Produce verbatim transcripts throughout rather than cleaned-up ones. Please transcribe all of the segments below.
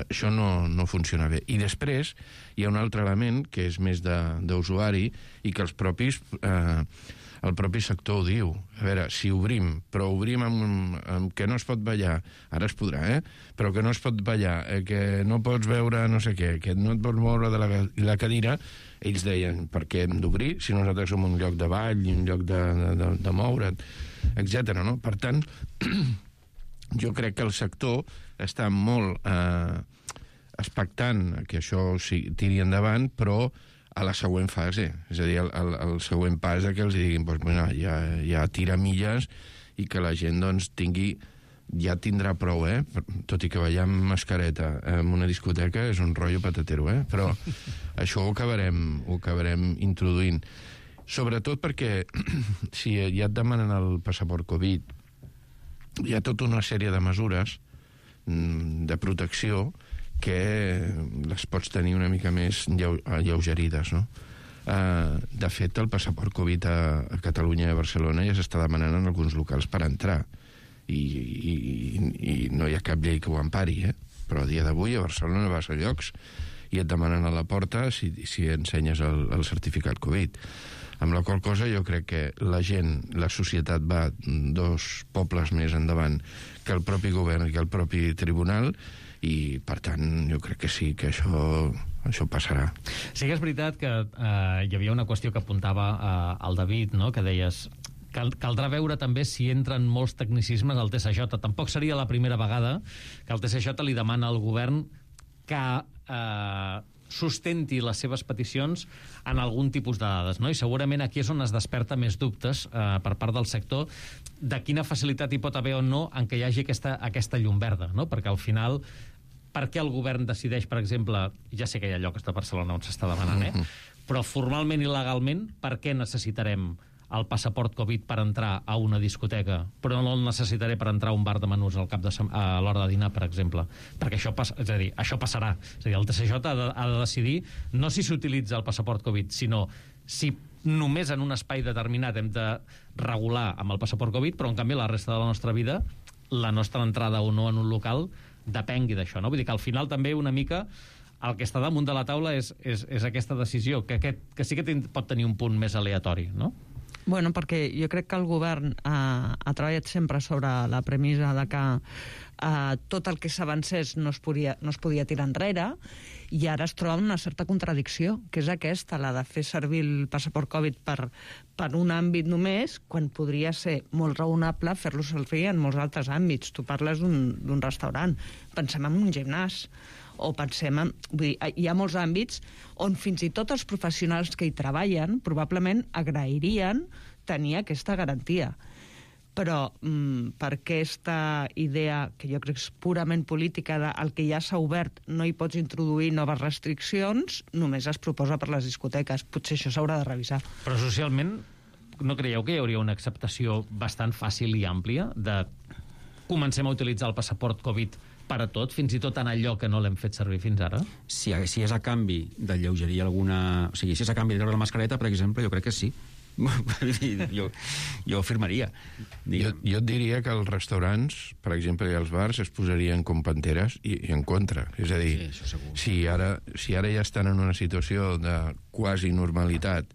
això no, no funciona bé. I després hi ha un altre element que és més d'usuari i que els propis... Eh, el propi sector ho diu. A veure, si obrim, però obrim amb, amb que no es pot ballar, ara es podrà, eh? Però que no es pot ballar, eh, que no pots veure no sé què, que no et pots moure de la, la cadira, ells deien, per què hem d'obrir si nosaltres som un lloc de ball i un lloc de, de, de, de moure't, etcètera, no? Per tant, jo crec que el sector està molt eh, expectant que això sí, tiri endavant, però a la següent fase, és a dir, el, el, el següent pas de que els diguin doncs, bueno, ja, ja tira milles i que la gent doncs, tingui, ja tindrà prou, eh? Tot i que ballar amb mascareta en una discoteca és un rotllo patatero, eh? Però això ho acabarem, ho acabarem introduint. Sobretot perquè si ja et demanen el passaport Covid, hi ha tota una sèrie de mesures de protecció que les pots tenir una mica més alleugerides, no? Uh, de fet, el passaport Covid a, a Catalunya i a Barcelona ja s'està demanant en alguns locals per entrar i, i, i no hi ha cap llei que ho empari, eh? Però a dia d'avui a Barcelona vas a llocs i et demanen a la porta si, si ensenyes el, el certificat Covid. Amb la qual cosa jo crec que la gent, la societat va dos pobles més endavant que el propi govern i que el propi tribunal, i per tant jo crec que sí, que això, això passarà. Sí que és veritat que eh, hi havia una qüestió que apuntava eh, el David, no? Que deies cal, caldrà veure també si entren molts tecnicismes al T S J. Tampoc seria la primera vegada que el T S J li demana al govern que eh, sustenti les seves peticions en algun tipus de dades, no? I segurament aquí és on es desperta més dubtes eh, per part del sector de quina facilitat hi pot haver o no en què hi hagi aquesta, aquesta llum verda, no? Perquè al final, per què el govern decideix, per exemple, ja sé que hi ha llocs de Barcelona on s'està demanant, eh? Però formalment i legalment, per què necessitarem el passaport Covid per entrar a una discoteca, però no el necessitaré per entrar a un bar de menús al cap de sem- a l'hora de dinar, per exemple? Perquè això, pas- és a dir, això passarà. És a dir, el T S J ha de, ha de decidir no si s'utilitza el passaport Covid, sinó si només en un espai determinat hem de regular amb el passaport Covid, però en canvi la resta de la nostra vida, la nostra entrada o no en un local depengui d'això, no? Vull dir que al final també una mica el que està damunt de la taula és, és, és aquesta decisió, que, aquest, que sí que ten, pot tenir un punt més aleatori, no? Bueno, perquè jo crec que el govern eh, ha treballat sempre sobre la premissa de que eh, tot el que s'avancés no, es podia, no es podia tirar enrere, i ara es troba una certa contradicció, que és aquesta, la de fer servir el passaport Covid per, per un àmbit només, quan podria ser molt raonable fer-lo servir en molts altres àmbits. Tu parles d'un restaurant, pensem en un gimnàs, o pensem en... Vull dir, hi ha molts àmbits on fins i tot els professionals que hi treballen probablement agrairien tenir aquesta garantia. Però mm, per aquesta idea, que jo crec que és purament política, de el que ja s'ha obert no hi pots introduir noves restriccions, només es proposa per les discoteques. Potser això s'haurà de revisar. Però socialment, no creieu que hi hauria una acceptació bastant fàcil i àmplia de comencem a utilitzar el passaport Covid per a tot, fins i tot en allò que no l'hem fet servir fins ara? Si, si és a canvi de lleugerir alguna... O sigui, si és a canvi de treure la mascareta, per exemple, jo crec que sí. jo, jo afirmaria. Jo, jo et diria que els restaurants, per exemple, i els bars, es posarien com panteres i, i en contra. És a dir, sí, si, ara, si ara ja estan en una situació de quasi normalitat,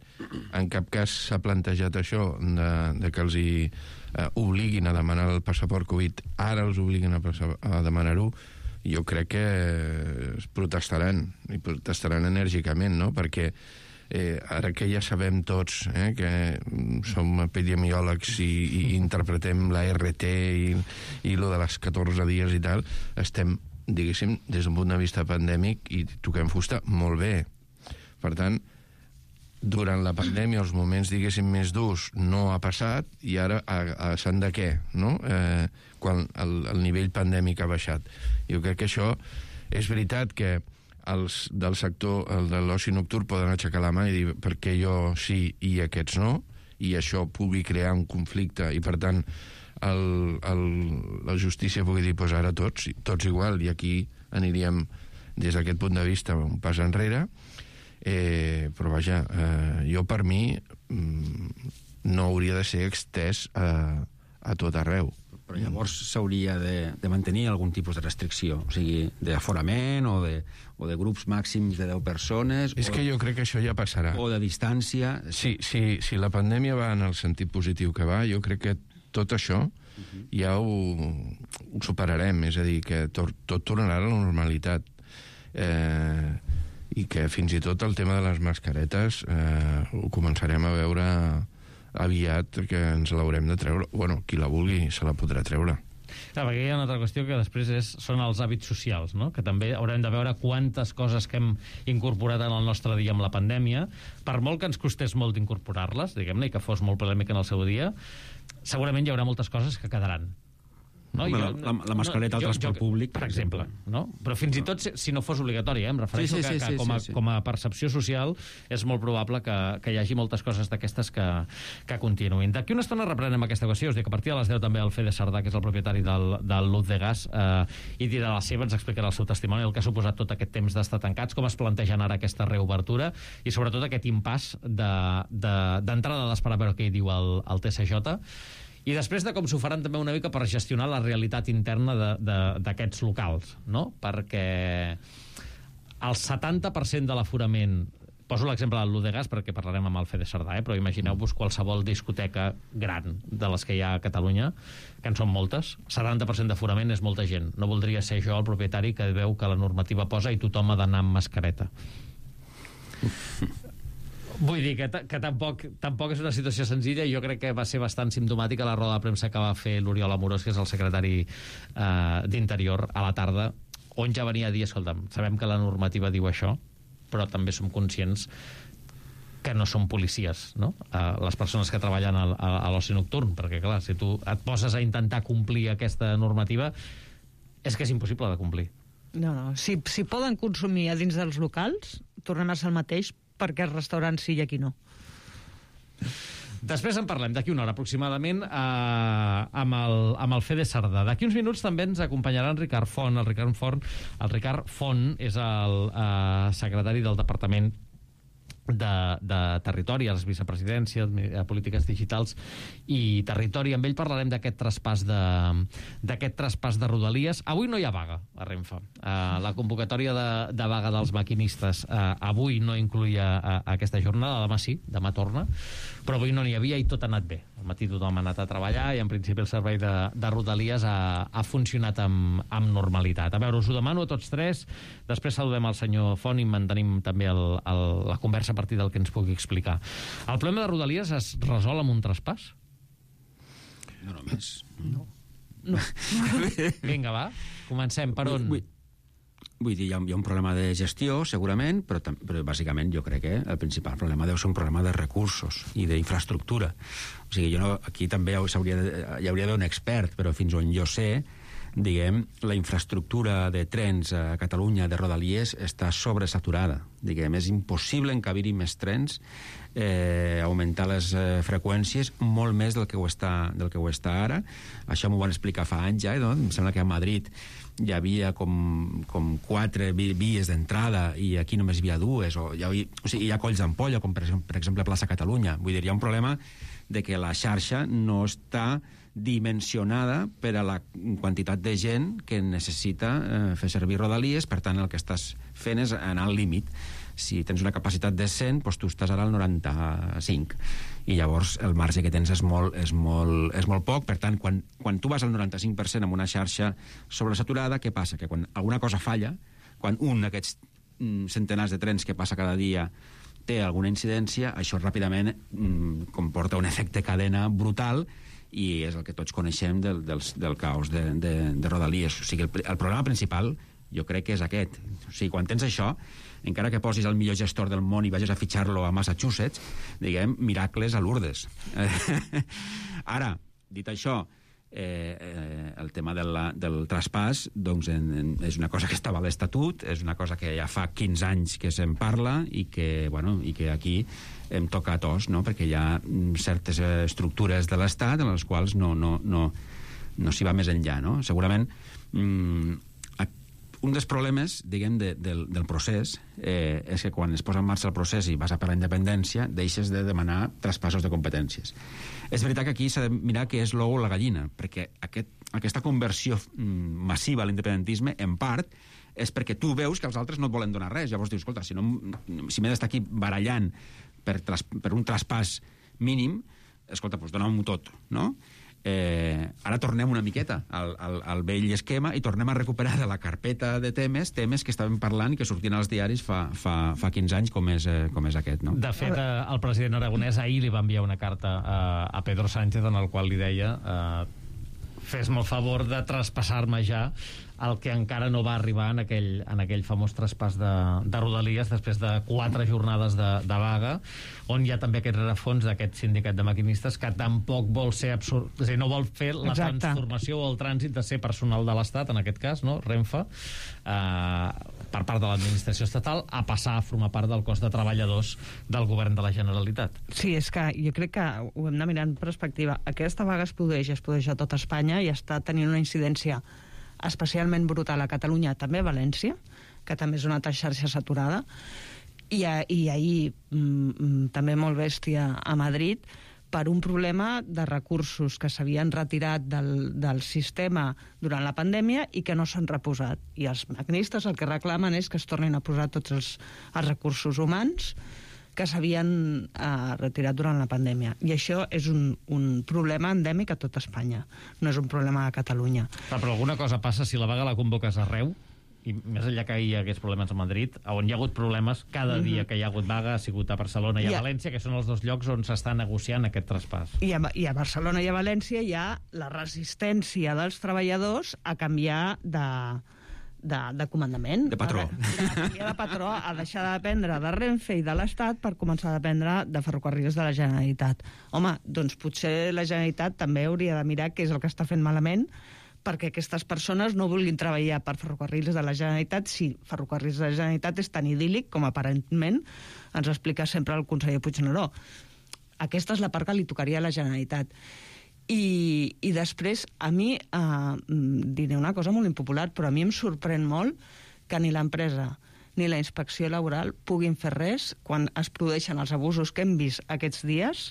en cap cas s'ha plantejat això de, de que els hi eh, obliguin a demanar el passaport Covid, ara els obliguen a, a demanar-ho, jo crec que es protestaran, i protestaran enèrgicament, no? Perquè eh, ara que ja sabem tots eh, que som epidemiòlegs i, i interpretem la R T i, i lo de les catorze dies i tal, estem, diguéssim, des d'un punt de vista pandèmic i toquem fusta molt bé. Per tant, durant la pandèmia, els moments, diguéssim, més durs no ha passat, i ara a, a sant de què, no? Eh, quan el, el nivell pandèmic ha baixat. Jo crec que això és veritat que els del sector, el de l'oci nocturn, poden aixecar la mà i dir per què jo sí i aquests no, i això pugui crear un conflicte, i per tant el, el, la justícia pugui dir, pues ara tots, tots igual, i aquí aniríem des d'aquest punt de vista un pas enrere. Eh, però vaja, eh, jo per mi mm, no hauria de ser extès a, a tot arreu. Però llavors s'hauria de, de mantenir algun tipus de restricció, o sigui, d'aforament o, de, o de grups màxims de deu persones... És o, que jo crec que això ja passarà. O de distància... Si, si, si la pandèmia va en el sentit positiu que va, jo crec que tot això uh-huh. ja ho, ho superarem, és a dir, que tot, tot tornarà a la normalitat. Eh, I que fins i tot el tema de les mascaretes eh, ho començarem a veure aviat, que ens l'haurem de treure. Bueno, qui la vulgui se la podrà treure. Clar, perquè hi ha una altra qüestió que després és, són els hàbits socials, no? Que també haurem de veure quantes coses que hem incorporat en el nostre dia amb la pandèmia, per molt que ens costés molt d'incorporar-les, diguem-ne, i que fos molt polèmic en el seu dia, segurament hi haurà moltes coses que quedaran. No? Home, Jo, la, la mascareta no, jo, al transport jo, públic, per exemple, no? Però fins i tot si, si no fos obligatori, eh? Em refereixo sí, sí, que, sí, que sí, com, a, sí, sí. com a percepció social és molt probable que, que hi hagi moltes coses d'aquestes que, que continuïn. D'aquí una estona reprenem aquesta qüestió. Us dic que a partir de les deu també el Fede Sardà, que és el propietari del, del Luz de Gas, eh, i dirà la seva, ens explicarà el seu testimoni, el que ha suposat tot aquest temps d'estar tancats, com es plantegen ara aquesta reobertura i sobretot aquest impàs d'entrada de, de, d'esperar a veure què hi diu el, el T C J. I després de com s'ho faran també una mica per gestionar la realitat interna d'aquests locals, no? Perquè el setanta per cent de l'aforament, poso l'exemple del Luz de Gas perquè parlarem amb el Fede Sardà, eh? Però imagineu-vos qualsevol discoteca gran de les que hi ha a Catalunya, que en són moltes, setanta per cent d'aforament és molta gent. No voldria ser jo el propietari que veu que la normativa posa i tothom ha d'anar amb mascareta. Vull dir que, que tampoc, tampoc és una situació senzilla i jo crec que va ser bastant simptomàtica la roda de premsa que va fer l'Oriol Amorós, que és el secretari eh, d'Interior, a la tarda, on ja venia a dir, escolta'm, sabem que la normativa diu això, però també som conscients que no són policies, no? Eh, les persones que treballen a, a, a l'oci nocturn, perquè clar, si tu et poses a intentar complir aquesta normativa és que és impossible de complir. No, no, si, si poden consumir a dins dels locals, tornem a ser el mateix, perquè els restaurants sí i aquí no. Després en parlem, d'aquí una hora aproximadament, eh, amb, el, amb el Fede Sardà. D'aquí uns minuts també ens acompanyarà en Ricard Font. El Ricard Font, el Ricard Font és el eh, secretari del Departament de, de Territori, a les vicepresidències, a Polítiques Digitals i Territori. Amb ell parlarem d'aquest traspàs de, d'aquest traspàs de Rodalies. Avui no hi ha vaga a Renfe. Uh, la convocatòria de, de vaga dels maquinistes uh, avui no incluïa uh, aquesta jornada, demà sí, demà torna, però avui no n'hi havia i tot ha anat bé. Al matí tothom ha anat a treballar i en principi el servei de, de Rodalies ha, ha funcionat amb, amb normalitat. A veure, us ho demano a tots tres, després saludem el senyor Font i mantenim també el, el, la conversa a partir del que ens pugui explicar. El problema de Rodalies es resol amb un traspàs? No només. No. no. Vinga, va, comencem. Per on? Vull, vull dir, hi ha, hi ha un problema de gestió, segurament, però, però bàsicament jo crec que el principal problema deu ser un problema de recursos i d'infraestructura. O sigui, jo no, aquí també hi hauria d'haver un expert, però fins on jo sé, diguem, la infraestructura de trens a Catalunya, de Rodalies, està sobresaturada. Diguem, és impossible encabir-hi més trens, eh, augmentar les eh, freqüències molt més del que ho està, del que ho està ara. Això m'ho van explicar fa anys ja, no? Em sembla que a Madrid hi havia com, com quatre vies d'entrada i aquí només hi havia dues, o, hi havia, o sigui, hi ha colls d'ampolla, com per exemple, per exemple Plaça Catalunya. Vull dir, hi ha un problema de que la xarxa no està dimensionada per a la quantitat de gent que necessita eh, fer servir Rodalies, per tant el que estàs fent és anar al límit. Si tens una capacitat de cent, doncs tu estàs ara al noranta-cinc, i llavors el marge que tens és molt, és molt, és molt poc. Per tant, quan, quan tu vas al noranta-cinc per cent amb una xarxa sobresaturada, què passa? Que quan alguna cosa falla, quan un d'aquests mm, centenars de trens que passa cada dia té alguna incidència, això ràpidament mm, comporta un efecte cadena brutal, i és el que tots coneixem del, del, del caos de, de, de Rodalies. O sigui, el, el problema principal jo crec que és aquest. O sigui, quan tens això, encara que posis el millor gestor del món i vagis a fitxar-lo a Massachusetts, diguem, miracles a Lourdes. Ara, dit això, eh, eh, el tema de la, del traspàs doncs, en, en, és una cosa que estava a l'Estatut, és una cosa que ja fa quinze anys que se'n parla i que, bueno, i que aquí hem tocat os, no? Perquè hi ha certes estructures de l'Estat en les quals no, no, no, no s'hi va més enllà, no? Segurament mm, un dels problemes, diguem, de, del, del procés eh, és que quan es posa en marxa el procés i vas a per la independència, deixes de demanar traspassos de competències. És veritat que aquí s'ha de mirar què és l'ou o la gallina, perquè aquest, aquesta conversió massiva a l'independentisme, en part, és perquè tu veus que els altres no et volen donar res. Llavors dius, escolta, si, no, si m'he d'estar aquí barallant per, tras, per un traspàs mínim, escolta, doncs dona-m'ho tot, no? Eh, ara tornem una miqueta al, al, al vell esquema i tornem a recuperar de la carpeta de temes temes que estàvem parlant i que sortien als diaris fa, fa, fa quinze anys com és, eh, com és aquest, no? De fet, eh, el president aragonès ahir li va enviar una carta a, a Pedro Sánchez en el qual li deia eh, fes-me el favor de traspassar-me ja el que encara no va arribar en aquell, en aquell famós traspàs de, de Rodalies després de quatre jornades de, de vaga, on hi ha també aquest rerefons d'aquest sindicat de maquinistes que tampoc vol ser absurd, és a dir, no vol fer la Exacte. transformació o el trànsit de ser personal de l'Estat, en aquest cas, no? Renfe, eh, per part de l'administració estatal, a passar a formar part del cos de treballadors del govern de la Generalitat. Sí, és que jo crec que ho hem de mirar en perspectiva. Aquesta vaga es produeix, es produeix a tot Espanya i està tenint una incidència especialment brutal a Catalunya, també a València, que també és una altra xarxa saturada, i, a, i ahir mm, també molt bèstia a Madrid, per un problema de recursos que s'havien retirat del, del sistema durant la pandèmia i que no s'han reposat. I els maquinistes el que reclamen és que es tornin a posar tots els, els recursos humans que s'havien eh, retirat durant la pandèmia. I això és un, un problema endèmic a tot Espanya. No és un problema a Catalunya. Clar, però alguna cosa passa si la vaga la convoques arreu, i més enllà que hi hagués problemes a Madrid, on hi ha hagut problemes, cada uh-huh. dia que hi ha hagut vaga ha sigut a Barcelona i a, I a València, que són els dos llocs on s'està negociant aquest traspàs. I a, I a Barcelona i a València hi ha la resistència dels treballadors a canviar de... De, de comandament. De patró. De, de, de patró a deixar de dependre de Renfe i de l'Estat per començar a dependre de ferrocarrils de la Generalitat. Home, doncs potser la Generalitat també hauria de mirar què és el que està fent malament perquè aquestes persones no vulguin treballar per ferrocarrils de la Generalitat si ferrocarrils de la Generalitat és tan idíl·lic com aparentment ens explica sempre el conseller Puigneró. Aquesta és la part que li tocaria a la Generalitat. I, i després, a mi, eh, diré una cosa molt impopular, però a mi em sorprèn molt que ni l'empresa ni la inspecció laboral puguin fer res quan es produeixen els abusos que hem vist aquests dies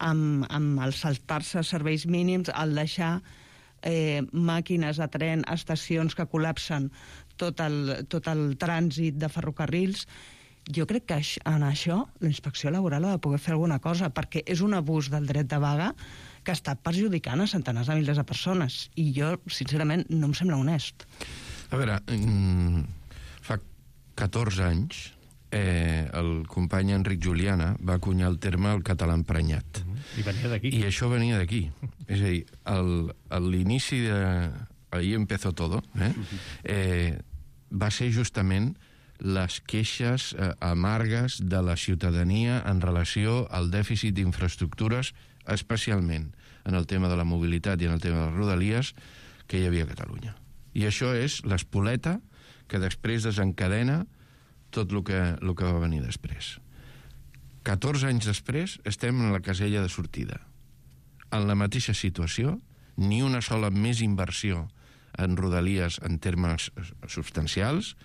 amb, amb el saltar-se serveis mínims, el deixar eh, màquines de tren a estacions que col·lapsen tot el, tot el trànsit de ferrocarrils. Jo crec que en això la inspecció laboral ha de poder fer alguna cosa, perquè és un abús del dret de vaga que està perjudicant a centenars de milers de persones. I jo, sincerament, no em sembla honest. A veure, fa catorze anys eh, el company Enric Juliana va acunyar el terme el català emprenyat. I venia d'aquí. I això venia d'aquí. És a dir, el, l'inici de... Ahí empezó todo. Eh? Eh, va ser justament les queixes eh, amargues de la ciutadania en relació al dèficit d'infraestructures, especialment en el tema de la mobilitat i en el tema de les rodalies que hi havia a Catalunya. I això és l'espoleta que després desencadena tot el que, el que va venir després. catorze anys després estem en la casella de sortida. En la mateixa situació, ni una sola més inversió en rodalies en termes substancials,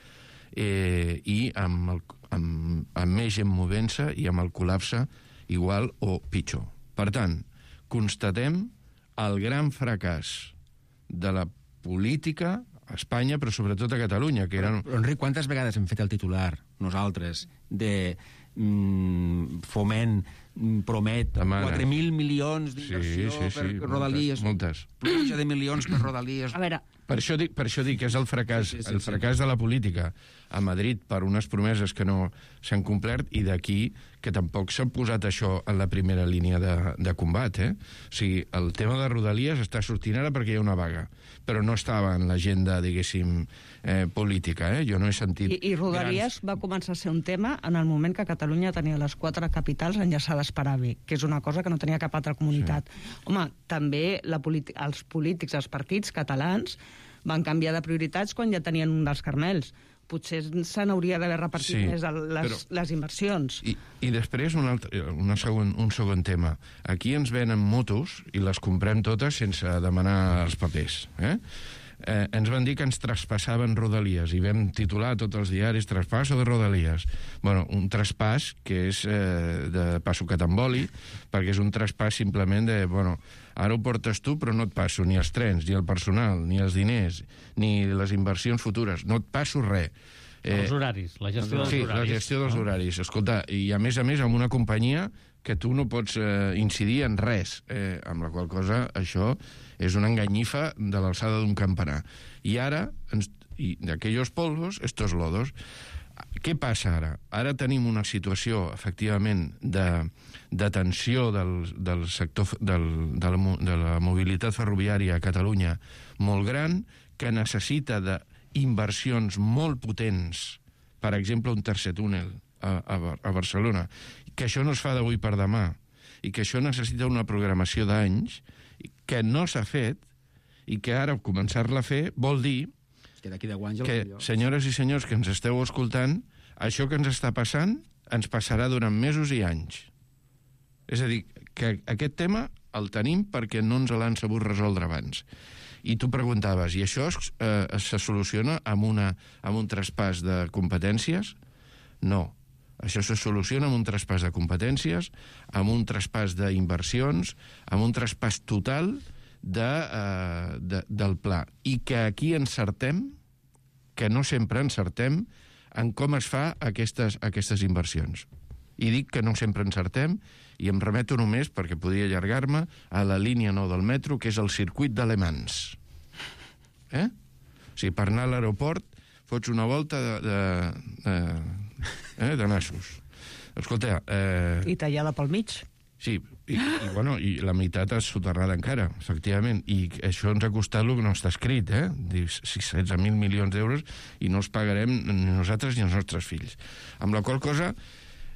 eh, i amb, el, amb, amb més gent movent-se i amb el col·lapse igual o pitjor. Per tant, constatem el gran fracàs de la política a Espanya, però sobretot a Catalunya, que eren... Però, Enric, quantes vegades hem fet el titular, nosaltres, de mm, Foment promet Demana. quatre mil milions d'inversió sí, sí, sí, per Rodalies, moltes, moltes. Pluja de milions per Rodalies. A veure... Per això dic, per això dic que és el fracàs, sí, sí, sí, el fracàs sí. de la política a Madrid per unes promeses que no s'han complert i d'aquí que tampoc s'ha posat això en la primera línia de, de combat, eh? O sigui, el tema de Rodalies està sortint ara perquè hi ha una vaga, però no estava en l'agenda, diguéssim, eh, política, eh? Jo no he sentit... I, i Rodalies grans... va començar a ser un tema en el moment que Catalunya tenia les quatre capitals enllaçades per AVE, que és una cosa que no tenia cap altra comunitat. Sí. Home, també la els polítics, els partits catalans van canviar de prioritats quan ja tenien un dels Carmels. Potser se n'hauria d'haver repartit sí, més les, però, les inversions. I, i després un, altre, una segon, un segon tema. Aquí ens venen motos i les comprem totes sense demanar els papers. Eh? eh, ens van dir que ens traspassaven Rodalies i vam titular a tots els diaris traspasso de Rodalies. Bueno, un traspàs que és eh, de passo catamboli, perquè és un traspàs simplement de, bueno, ara ho portes tu però no et passo ni els trens, ni el personal, ni els diners, ni les inversions futures, no et passo res. Eh, els horaris, la gestió dels sí, horaris. Sí, la gestió dels horaris. Escolta, i a més a més amb una companyia que tu no pots eh, incidir en res, eh, amb la qual cosa això és una enganyifa de l'alçada d'un campanar. I ara, ens, i d'aquells polvos, estos lodos. Què passa ara? Ara tenim una situació, efectivament, de, de tensió del, del sector del, de, la, de la mobilitat ferroviària a Catalunya molt gran, que necessita d'inversions molt potents, per exemple, un tercer túnel a, a, a Barcelona, que això no es fa d'avui per demà, i que això necessita una programació d'anys, que no s'ha fet, i que ara començar-la a fer vol dir que, d'aquí deu anys que, senyores i senyors que ens esteu escoltant, això que ens està passant ens passarà durant mesos i anys. És a dir, que aquest tema el tenim perquè no ens l'han sabut resoldre abans. I tu preguntaves, i això es, eh, se soluciona amb, una, amb un traspàs de competències? No. Això se soluciona amb un traspàs de competències, amb un traspàs d'inversions, amb un traspàs total de, eh, de, del pla. I que aquí encertem, que no sempre encertem, en com es fa aquestes, aquestes inversions. I dic que no sempre encertem, i em remeto només, perquè podria allargar-me, a la línia nou del metro, que és el circuit d'Alemans. Eh? O sigui, per anar a l'aeroport fots una volta de, de, de, eh, de nassos. Escolta... Eh... I tallada pel mig. Sí, i, i, bueno, i la meitat és soterrada encara, efectivament, i això ens ha costat el que no està escrit, eh? setze mil milions d'euros, i no els pagarem ni nosaltres ni els nostres fills. Amb la qual cosa,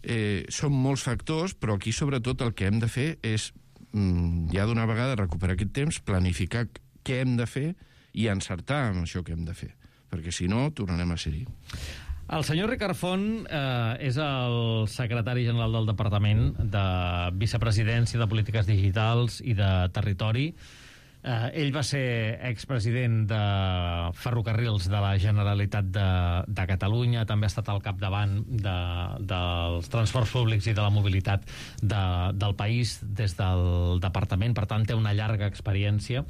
eh, són molts factors, però aquí sobretot el que hem de fer és, mm, ja d'una vegada, recuperar aquest temps, planificar què hem de fer i encertar amb això que hem de fer, perquè si no, tornarem a ser-hi. El senyor Ricard Font eh, és el secretari general del Departament de Vicepresidència de Polítiques Digitals i de Territori. Eh, ell va ser expresident de Ferrocarrils de la Generalitat de, de Catalunya, també ha estat al capdavant de, dels transports públics i de la mobilitat de, del país des del departament, per tant té una llarga experiència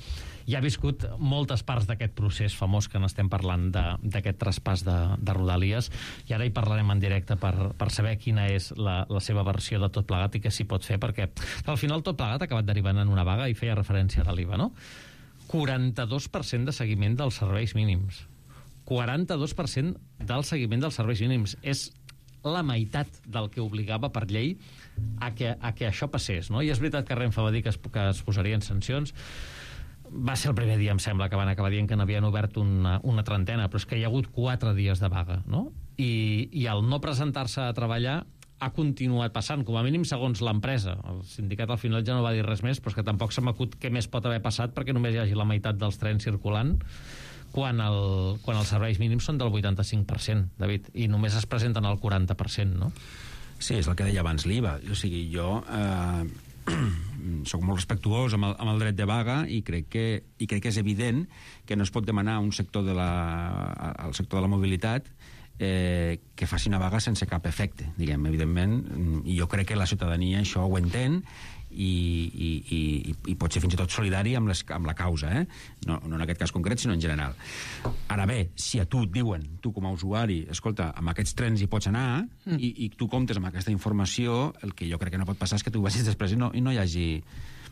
i ha viscut moltes parts d'aquest procés famós que n'estem parlant d'aquest traspàs de, de Rodalies, i ara hi parlarem en directe per, per saber quina és la, la seva versió de tot plegat i què s'hi pot fer, perquè al final tot plegat ha acabat derivant en una vaga, i feia referència a l'IVA, no? quaranta-dos per cent de seguiment dels serveis mínims. quaranta-dos per cent del seguiment dels serveis mínims. És la meitat del que obligava per llei a que, a que això passés, no? I és veritat que Renfe va dir que es, que es posarien sancions. Va ser el primer dia, em sembla, que van acabar dient que n'havien obert una, una trentena, però és que hi ha hagut quatre dies de vaga, no? I, i el no presentar-se a treballar ha continuat passant, com a mínim segons l'empresa. El sindicat al final ja no va dir res més, però és que tampoc se m'acut què més pot haver passat perquè només hi hagi la meitat dels trens circulant quan, el, quan els serveis mínims són del vuitanta-cinc per cent, David, i només es presenten al quaranta per cent, no? Sí, és el que deia abans l'IVA. O sigui, jo... Eh... soc molt respectuós amb el, amb el dret de vaga i crec, que, i crec que és evident que no es pot demanar a un sector de la, al sector de la mobilitat eh, que faci una vaga sense cap efecte, diguem, evidentment, i jo crec que la ciutadania això ho entén i, i, i, i pot ser fins i tot solidari amb, les, amb la causa, eh? no, no en aquest cas concret, sinó en general. Ara bé, si a tu et diuen, tu com a usuari, escolta, amb aquests trens hi pots anar, mm. i, i tu comptes amb aquesta informació, el que jo crec que no pot passar és que tu vagis després i no, i no, hi, hagi,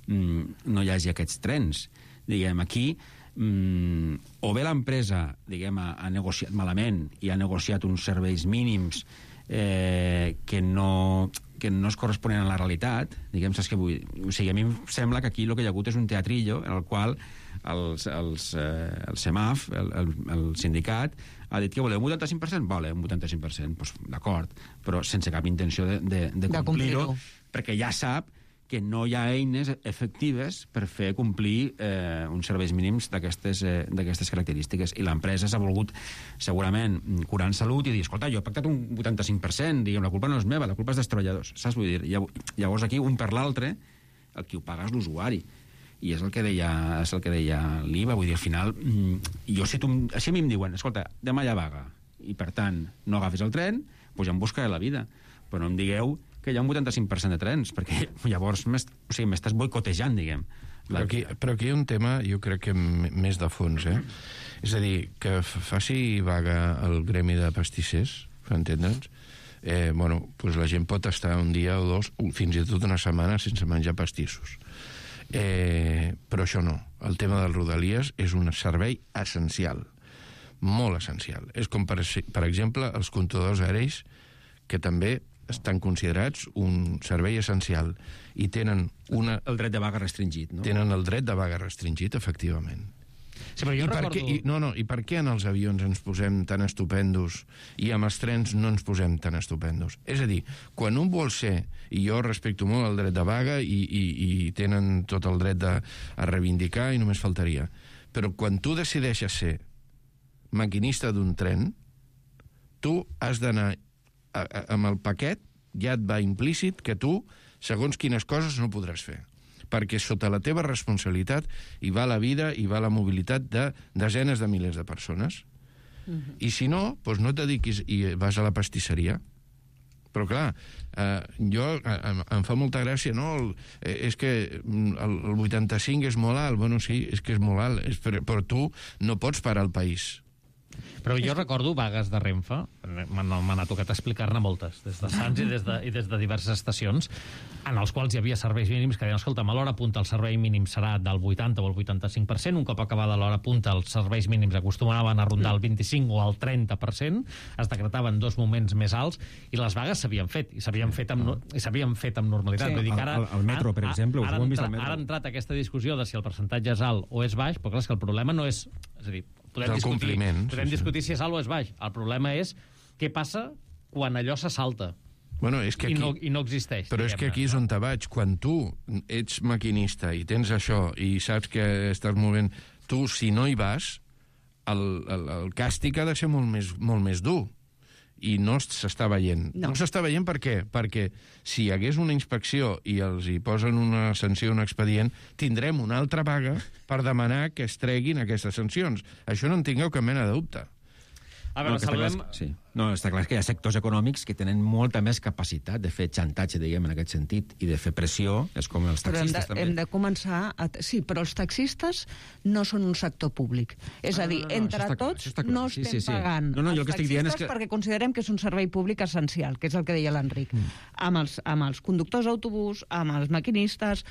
mm, no hi hagi aquests trens. Diguem, aquí, mm, o bé l'empresa, diguem, ha, ha negociat malament i ha negociat uns serveis mínims eh, que no... que no es corresponen a la realitat, diguem, saps què vull dir? O sigui, a mi em sembla que aquí el que hi ha hagut és un teatrillo en el qual els, els, eh, el CEMAF, el, el, el sindicat, ha dit que voleu un vuitanta-cinc per cent? Vale, un vuitanta-cinc per cent, doncs, d'acord, però sense cap intenció de, de, de complir-ho, perquè ja sap que no hi ha eines efectives per fer complir eh, uns serveis mínims d'aquestes eh, d'aquestes característiques. I l'empresa s'ha volgut, segurament, curar en salut i dir, escolta, jo he pactat un vuitanta-cinc per cent, diguem, la culpa no és meva, la culpa és dels treballadors. Saps? Vull dir, llavors aquí, un per l'altre, el qui ho paga és l'usuari. I és el que deia, és el que deia l'Iva, vull dir, al final, jo si, tu, si a mi em diuen, escolta, demà hi ha vaga, i per tant no agafis el tren, doncs ja em buscaré la vida. Però no em digueu que hi ha un vuitanta-cinc per cent de trens, perquè llavors o sigui, m'estàs boicotejant, diguem. Però aquí, però aquí hi ha un tema, jo crec que més de fons, eh? És a dir, que faci vaga el gremi de pastissers, per entendre'ns, eh, bueno, doncs la gent pot estar un dia o dos, fins i tot una setmana, sense menjar pastissos. Eh, però això no. El tema dels Rodalies és un servei essencial, molt essencial. És com, per, per exemple, els comptadors aèris, que també estan considerats un servei essencial i tenen una... El dret de vaga restringit, no? Tenen el dret de vaga restringit, efectivament. Sí, però jo I, per recordo... què, i, no, no, I per què en els avions ens posem tan estupendos i amb els trens no ens posem tan estupendos? És a dir, quan un vol ser, i jo respecto molt el dret de vaga i, i, i tenen tot el dret de, a reivindicar i només faltaria, però quan tu decideixes ser maquinista d'un tren, tu has d'anar amb el paquet, ja et va implícit que tu, segons quines coses, no podràs fer, perquè sota la teva responsabilitat hi va la vida, hi va la mobilitat de desenes de milers de persones. Uh-huh. I si no, doncs no et dediquis i vas a la pastisseria. Però clar, eh, jo em, em fa molta gràcia, no? El, eh, és que el, el vuitanta-cinc és molt alt. Bueno, sí, és que és molt alt, és, però, però tu no pots parar el país. Però jo recordo vagues de Renfe, m'ha tocat explicar-ne moltes, des de Sants i des de, i des de diverses estacions, en els quals hi havia serveis mínims que deien, escolta, a l'hora punta el servei mínim serà del vuitanta o el vuitanta-cinc per cent, un cop acabada l'hora punta els serveis mínims acostumaven a rondar el vint-i-cinc o el trenta per cent, es decretaven dos moments més alts, i les vagues s'havien fet, i s'havien fet, fet amb normalitat. Sí. Vull dir que ara, el, el metro, per exemple, ara, ho hem vist entra, al metro. Ara ha entrat aquesta discussió de si el percentatge és alt o és baix, però clar, és que el problema no és... És a dir, podem discutir, podem sí, discutir sí. si és alt o és baix. El problema és què passa quan allò se salta. Bueno, és que aquí, I, no, I no existeix. Però és que aquí és on te vaig. Quan tu ets maquinista i tens això i saps que estàs movent... Tu, si no hi vas, el, el, el càstig ha de ser molt més, molt més dur. I no s'està veient. No, no s'està veient per què? Perquè si hi hagués una inspecció i els hi posen una sanció, un expedient, tindrem una altra vaga per demanar que es treguin aquestes sancions. Això no en tingueu cap mena de dubte. A veure, no, saludem... Està clar, sí. No, està clar que hi ha sectors econòmics que tenen molta més capacitat de fer xantatge, diguem, en aquest sentit, i de fer pressió, és com els taxistes, però hem de, també. Hem de començar... A... Sí, però els taxistes no són un sector públic. És ah, a dir, no, no, entre no, tots no estem sí, sí, sí. pagant no, no, els taxistes és que... perquè considerem que és un servei públic essencial, que és el que deia l'Enric. Mm. Amb, els, amb els conductors d'autobús, amb els maquinistes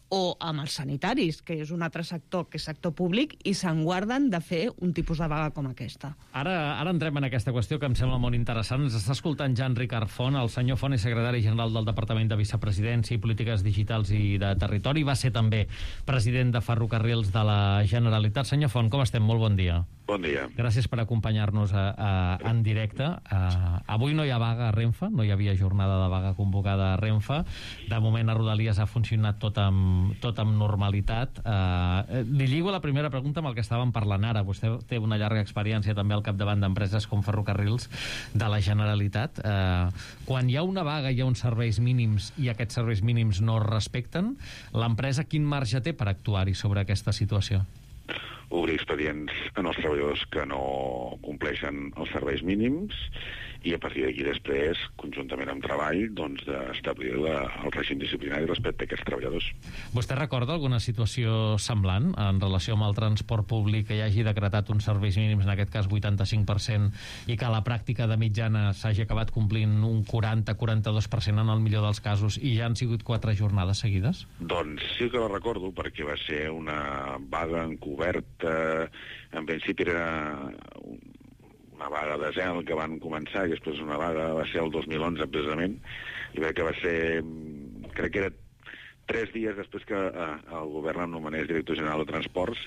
o amb els sanitaris, que és un altre sector que és sector públic, i se'n guarden de fer un tipus de vaga com aquesta. Ara, ara entrem en aquesta qüestió que em sembla molt interessant. Ens està escoltant Jan Ricard Font, el senyor Font és secretari general del Departament de Vicepresidència i Polítiques Digitals i de Territori. Va ser també president de Ferrocarrils de la Generalitat. Senyor Font, com estem? Molt bon dia. Bon dia. Gràcies per acompanyar-nos a, a, en directe. Uh, avui no hi ha vaga a Renfe, no hi havia jornada de vaga convocada a Renfe. De moment a Rodalies ha funcionat tot amb, tot amb normalitat. Uh, li lligo la primera pregunta amb el que estàvem parlant ara. Vostè té una llarga experiència també al capdavant d'empreses com Ferrocarrils de la Generalitat. Uh, quan hi ha una vaga, hi ha uns serveis mínims i aquests serveis mínims no es respecten, l'empresa quin marge té per actuar-hi sobre aquesta situació? Obrir expedients en els treballadors que no compleixen els serveis mínims i a partir d'aquí després, conjuntament amb treball, doncs d'establir la, el règim disciplinari respecte a aquests treballadors. Vostè recorda alguna situació semblant en relació amb el transport públic que hi hagi decretat uns serveis mínims, en aquest cas vuitanta-cinc per cent, i que a la pràctica de mitjana s'hagi acabat complint un quaranta a quaranta-dos per cent en el millor dels casos i ja han sigut quatre jornades seguides? Doncs sí que la recordo, perquè va ser una vaga encoberta, en principi era una vaga de zel que van començar i després una vaga va ser el dos mil onze precisament, i crec que va ser, crec que era tres dies després que eh, el govern em nomenés director general de Transports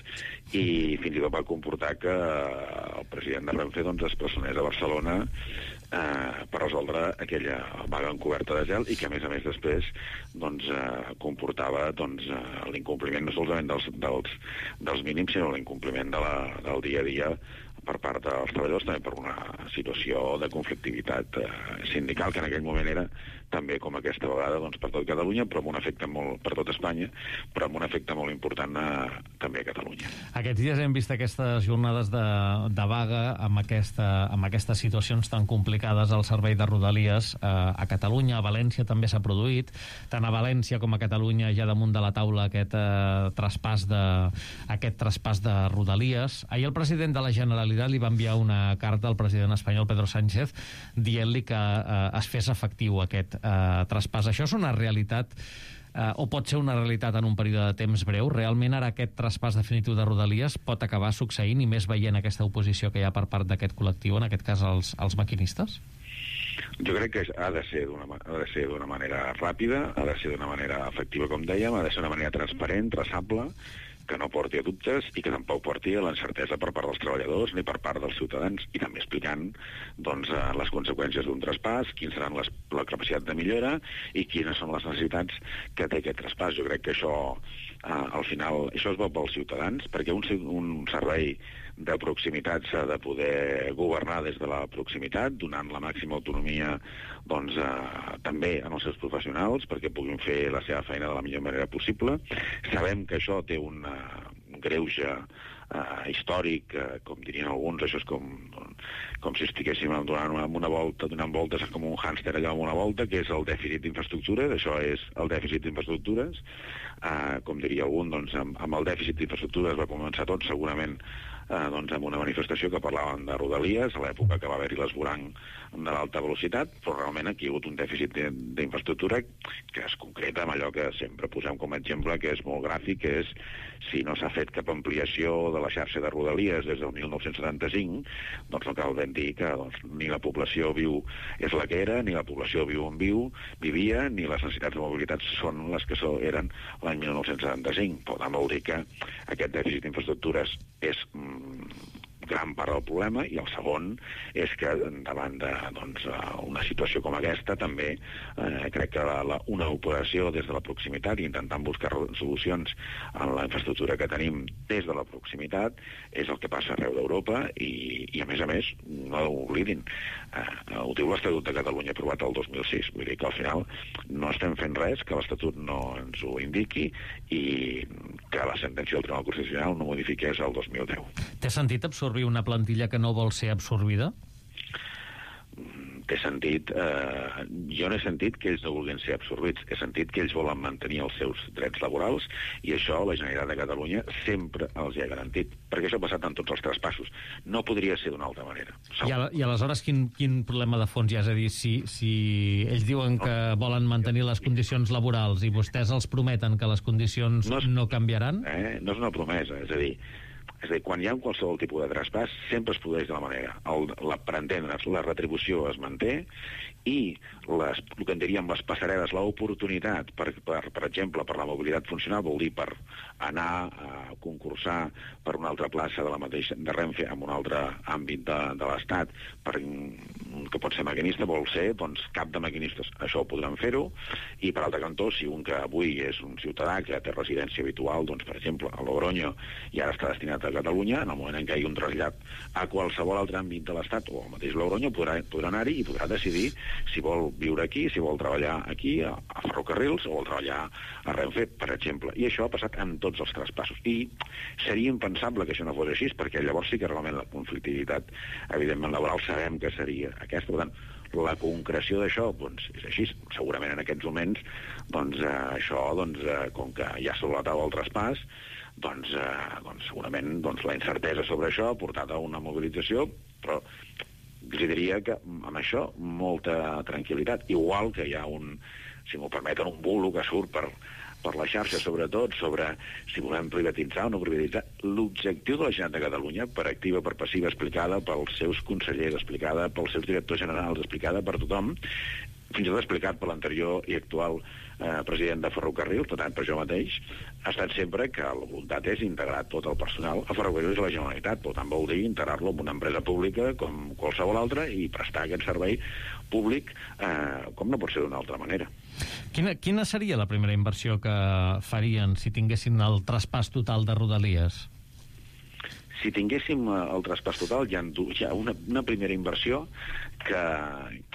i fins i tot va comportar que eh, el president de Renfe doncs, es personés a Barcelona eh, per resoldre aquella vaga encoberta de gel i que a més a més després doncs, eh, comportava doncs, eh, l'incompliment no solament dels, dels, dels mínims sinó l'incompliment de la, del dia a dia per part dels treballadors, també per una situació de conflictivitat eh, sindical, que en aquell moment era també com aquesta vegada doncs, per tot Catalunya, però amb un efecte molt per tot Espanya, però amb un efecte molt important eh, també a Catalunya. Aquests dies hem vist aquestes jornades de, de vaga amb, aquesta, amb aquestes situacions tan complicades al servei de Rodalies eh, a Catalunya, a València també s'ha produït, tant a València com a Catalunya hi ha damunt de la taula aquest eh, traspàs de, aquest traspàs de Rodalies. Ahir el president de la Generalitat li va enviar una carta al president espanyol Pedro Sánchez dient-li que eh, es fes efectiu aquest eh, traspàs. Això és una realitat eh, o pot ser una realitat en un període de temps breu? Realment ara aquest traspàs definitiu de Rodalies pot acabar succeint, i més veient aquesta oposició que hi ha per part d'aquest col·lectiu, en aquest cas els, els maquinistes? Jo crec que ha de ser d'una ha de ser d'una manera ràpida, ha de ser d'una manera efectiva, com dèiem, ha de ser d'una manera transparent, traçable, que no porti a dubtes i que tampoc porti a l'encertesa per part dels treballadors ni per part dels ciutadans, i també explicant doncs, les conseqüències d'un traspàs, quines seran les, la capacitat de millora i quines són les necessitats que té aquest traspàs. Jo crec que això, eh, al final, això és bo pels ciutadans, perquè un, un servei de proximitat s'ha de poder governar des de la proximitat, donant la màxima autonomia doncs, eh, també en els seus professionals perquè puguin fer la seva feina de la millor manera possible. Sabem que això té un, uh, un greuge uh, històric, uh, com dirien alguns, això és com, com si estiguéssim donant una, una volta, donant voltes com un hàmster allà amb una volta, que és el dèficit d'infraestructures. Això és el dèficit d'infraestructures. Uh, com diria algun, doncs, amb, amb el dèficit d'infraestructures va començar tot, segurament Eh, doncs amb una manifestació que parlaven de Rodalies, a l'època que va haver-hi l'esvoranc de l'alta velocitat, però realment aquí hi ha hagut un dèficit d'infraestructura que es concreta amb allò que sempre posem com a exemple, que és molt gràfic, que és si no s'ha fet cap ampliació de la xarxa de Rodalies des del mil nou-cents setanta-cinc, doncs no cal ben dir que doncs, ni la població viu és la que era, ni la població viu on viu, vivia, ni les necessitats de mobilitat són les que so, eren l'any mil nou-cents setanta-cinc. Per tant, vol dir que aquest dèficit d'infraestructures és gran part del problema, i el segon és que davant de doncs, una situació com aquesta també eh, crec que la, la, una operació des de la proximitat i intentant buscar solucions en la infraestructura que tenim des de la proximitat és el que passa arreu d'Europa, i, i a més a més no ho oblidin, eh, ho diu l'Estatut de Catalunya aprovat el dos mil sis, vull dir que al final no estem fent res que l'Estatut no ens ho indiqui i que la sentència del Tribunal Constitucional no modifiqués el dos mil deu. Té sentit absorbir una plantilla que no vol ser absorbida? Té sentit, eh, jo no he sentit que ells no vulguin ser absorbits, he sentit que ells volen mantenir els seus drets laborals, i això la Generalitat de Catalunya sempre els hi ha garantit, perquè això ha passat en tots els traspassos. No podria ser d'una altra manera. I, a, i aleshores quin, quin problema de fons hi ha? És a dir, si, si ells diuen que volen mantenir les condicions laborals i vostès els prometen que les condicions no, és, no canviaran? Eh, no és una promesa, és a dir, És a dir, quan hi ha qualsevol tipus de traspàs, sempre es produeix de la manera. El, la, per entendre's, la retribució es manté, i les, el que en diríem les passarel·les, l'oportunitat, per, per, per exemple, per la mobilitat funcional, vol dir per anar a concursar per una altra plaça de la mateixa de Renfe en un altre àmbit de, de l'Estat, per, que pot ser maquinista, vol ser doncs, cap de maquinistes. Això ho podran fer-ho, i per altre cantó, si un que avui és un ciutadà que té residència habitual, doncs, per exemple, a Logroño, i ara està destinat a Catalunya, en el moment en què hi ha un trasllat a qualsevol altre àmbit de l'Estat o al mateix Logroño, podrà, podrà anar-hi i podrà decidir si vol viure aquí, si vol treballar aquí, a, a Ferrocarrils, o vol treballar a Renfe, per exemple. I això ha passat en tots els traspassos. I seria impensable que això no fos així, perquè llavors sí que realment la conflictivitat, evidentment, laboral, sabem que seria aquesta. Per tant, la concreció d'això doncs, és així. Segurament en aquests moments doncs, eh, això, doncs, eh, com que ja sobre la taula el traspàs, doncs, eh, doncs segurament doncs, la incertesa sobre això ha portat a una mobilització, però els diria que amb això molta tranquil·litat. Igual que hi ha un, si m'ho permeten, un bulo que surt per, per la xarxa, sobretot, sobre si volem privatitzar o no privatitzar. L'objectiu de la Generalitat de Catalunya, per activa, per passiva, explicada pels seus consellers, explicada pels seus directors generals, explicada per tothom, fins i tot explicat per l'anterior i actual eh, president de Ferrocarrils, per tant, per jo mateix, ha estat sempre que la voluntat és integrar tot el personal a Ferrocarrils i a la Generalitat. Per tant, vol dir integrar-lo en una empresa pública com qualsevol altra i prestar aquest servei públic eh, com no pot ser d'una altra manera. Quina, quina seria la primera inversió que farien si tinguessin el traspàs total de Rodalies? Si tinguéssim el traspàs total, hi ha, hi ha una, una primera inversió que,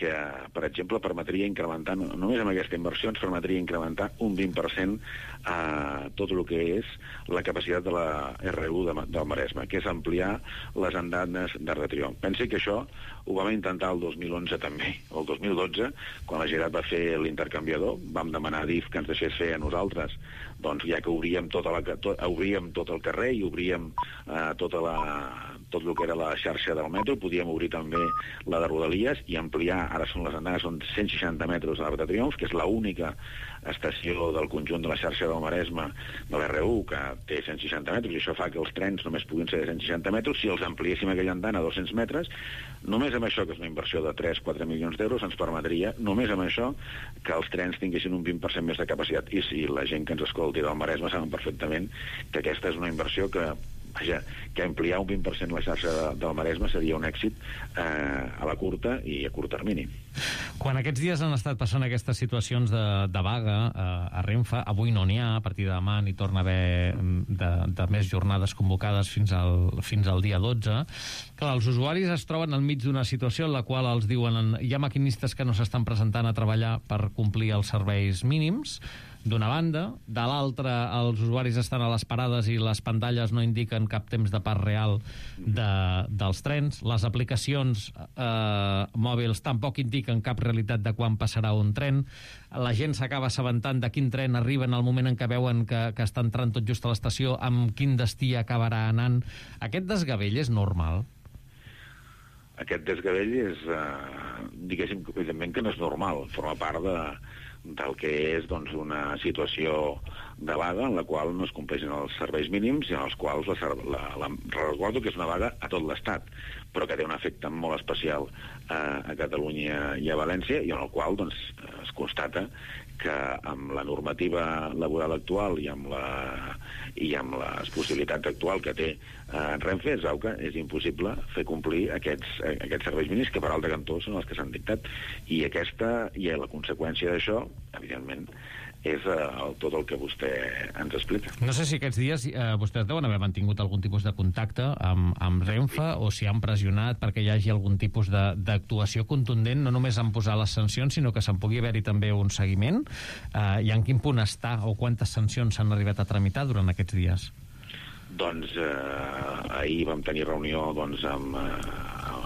que, per exemple, permetria incrementar, només amb aquesta inversió ens permetria incrementar un vint per cent a tot el que és la capacitat de la R u de, del Maresme, que és ampliar les andanes d'Arc de Triomf. Pensi que això ho vam intentar el dos mil onze també, o el dos mil dotze, quan la Generalitat va fer l'intercanviador, vam demanar a D I F que ens deixés fer a nosaltres, doncs ja que obríem, tota la, tot, obríem tot el carrer i obríem eh, tota la, tot el que era la xarxa del metro, podíem obrir també la de Rodalies i ampliar, ara són les andanes, són cent seixanta metres a l'Arc de Triomf, que és l'única estació del conjunt de la xarxa del Maresme de l'R u que té cent seixanta metres, i això fa que els trens només puguin ser de cent seixanta metres. Si els ampliéssim aquella andana a dos-cents metres, només amb això, que és una inversió de tres a quatre milions d'euros, ens permetria, només amb això, que els trens tinguessin un vint per cent més de capacitat. I si la gent que ens escolti del Maresme saben perfectament que aquesta és una inversió que, vaja, que ampliar un vint per cent la xarxa de, del Maresme seria un èxit eh, a la curta i a curt termini. Quan aquests dies han estat passant aquestes situacions de, de vaga eh, a Renfe, avui no n'hi ha, a partir de demà n'hi torna a haver de, de més jornades convocades fins al, fins al dia dotze. Clar, els usuaris es troben enmig d'una situació en la qual els diuen hi ha maquinistes que no s'estan presentant a treballar per complir els serveis mínims, d'una banda. De l'altra, els usuaris estan a les parades i les pantalles no indiquen cap temps de pas real de, dels trens. Les aplicacions eh, mòbils tampoc indiquen cap realitat de quan passarà un tren. La gent s'acaba assabentant de quin tren arriba en el moment en què veuen que, que està entrant tot just a l'estació, amb quin destí acabarà anant. Aquest desgavell és normal? Aquest desgavell és, eh, diguéssim, evidentment que no és normal, forma part de, del que és doncs, una situació de vaga en la qual no es compleixen els serveis mínims i en els quals la, la, la, recordo que és una vaga a tot l'Estat, però que té un efecte molt especial eh, a Catalunya i a València, i en el qual doncs, es constata que amb la normativa laboral actual i amb, la, i amb les possibilitats actuals que té eh, Renfe, es veu que és impossible fer complir aquests, aquests serveis mínims que per altre cantó són els que s'han dictat. I aquesta, i la conseqüència d'això, evidentment, és eh, tot el que vostè ens explica. No sé si aquests dies eh, vostès deuen haver mantingut algun tipus de contacte amb, amb Renfe, o si han pressionat perquè hi hagi algun tipus d'actuació contundent, no només en posar les sancions, sinó que se'n pugui haver-hi també un seguiment. Eh, I en quin punt està o quantes sancions s'han arribat a tramitar durant aquests dies? Doncs eh, ahir vam tenir reunió doncs, amb, eh,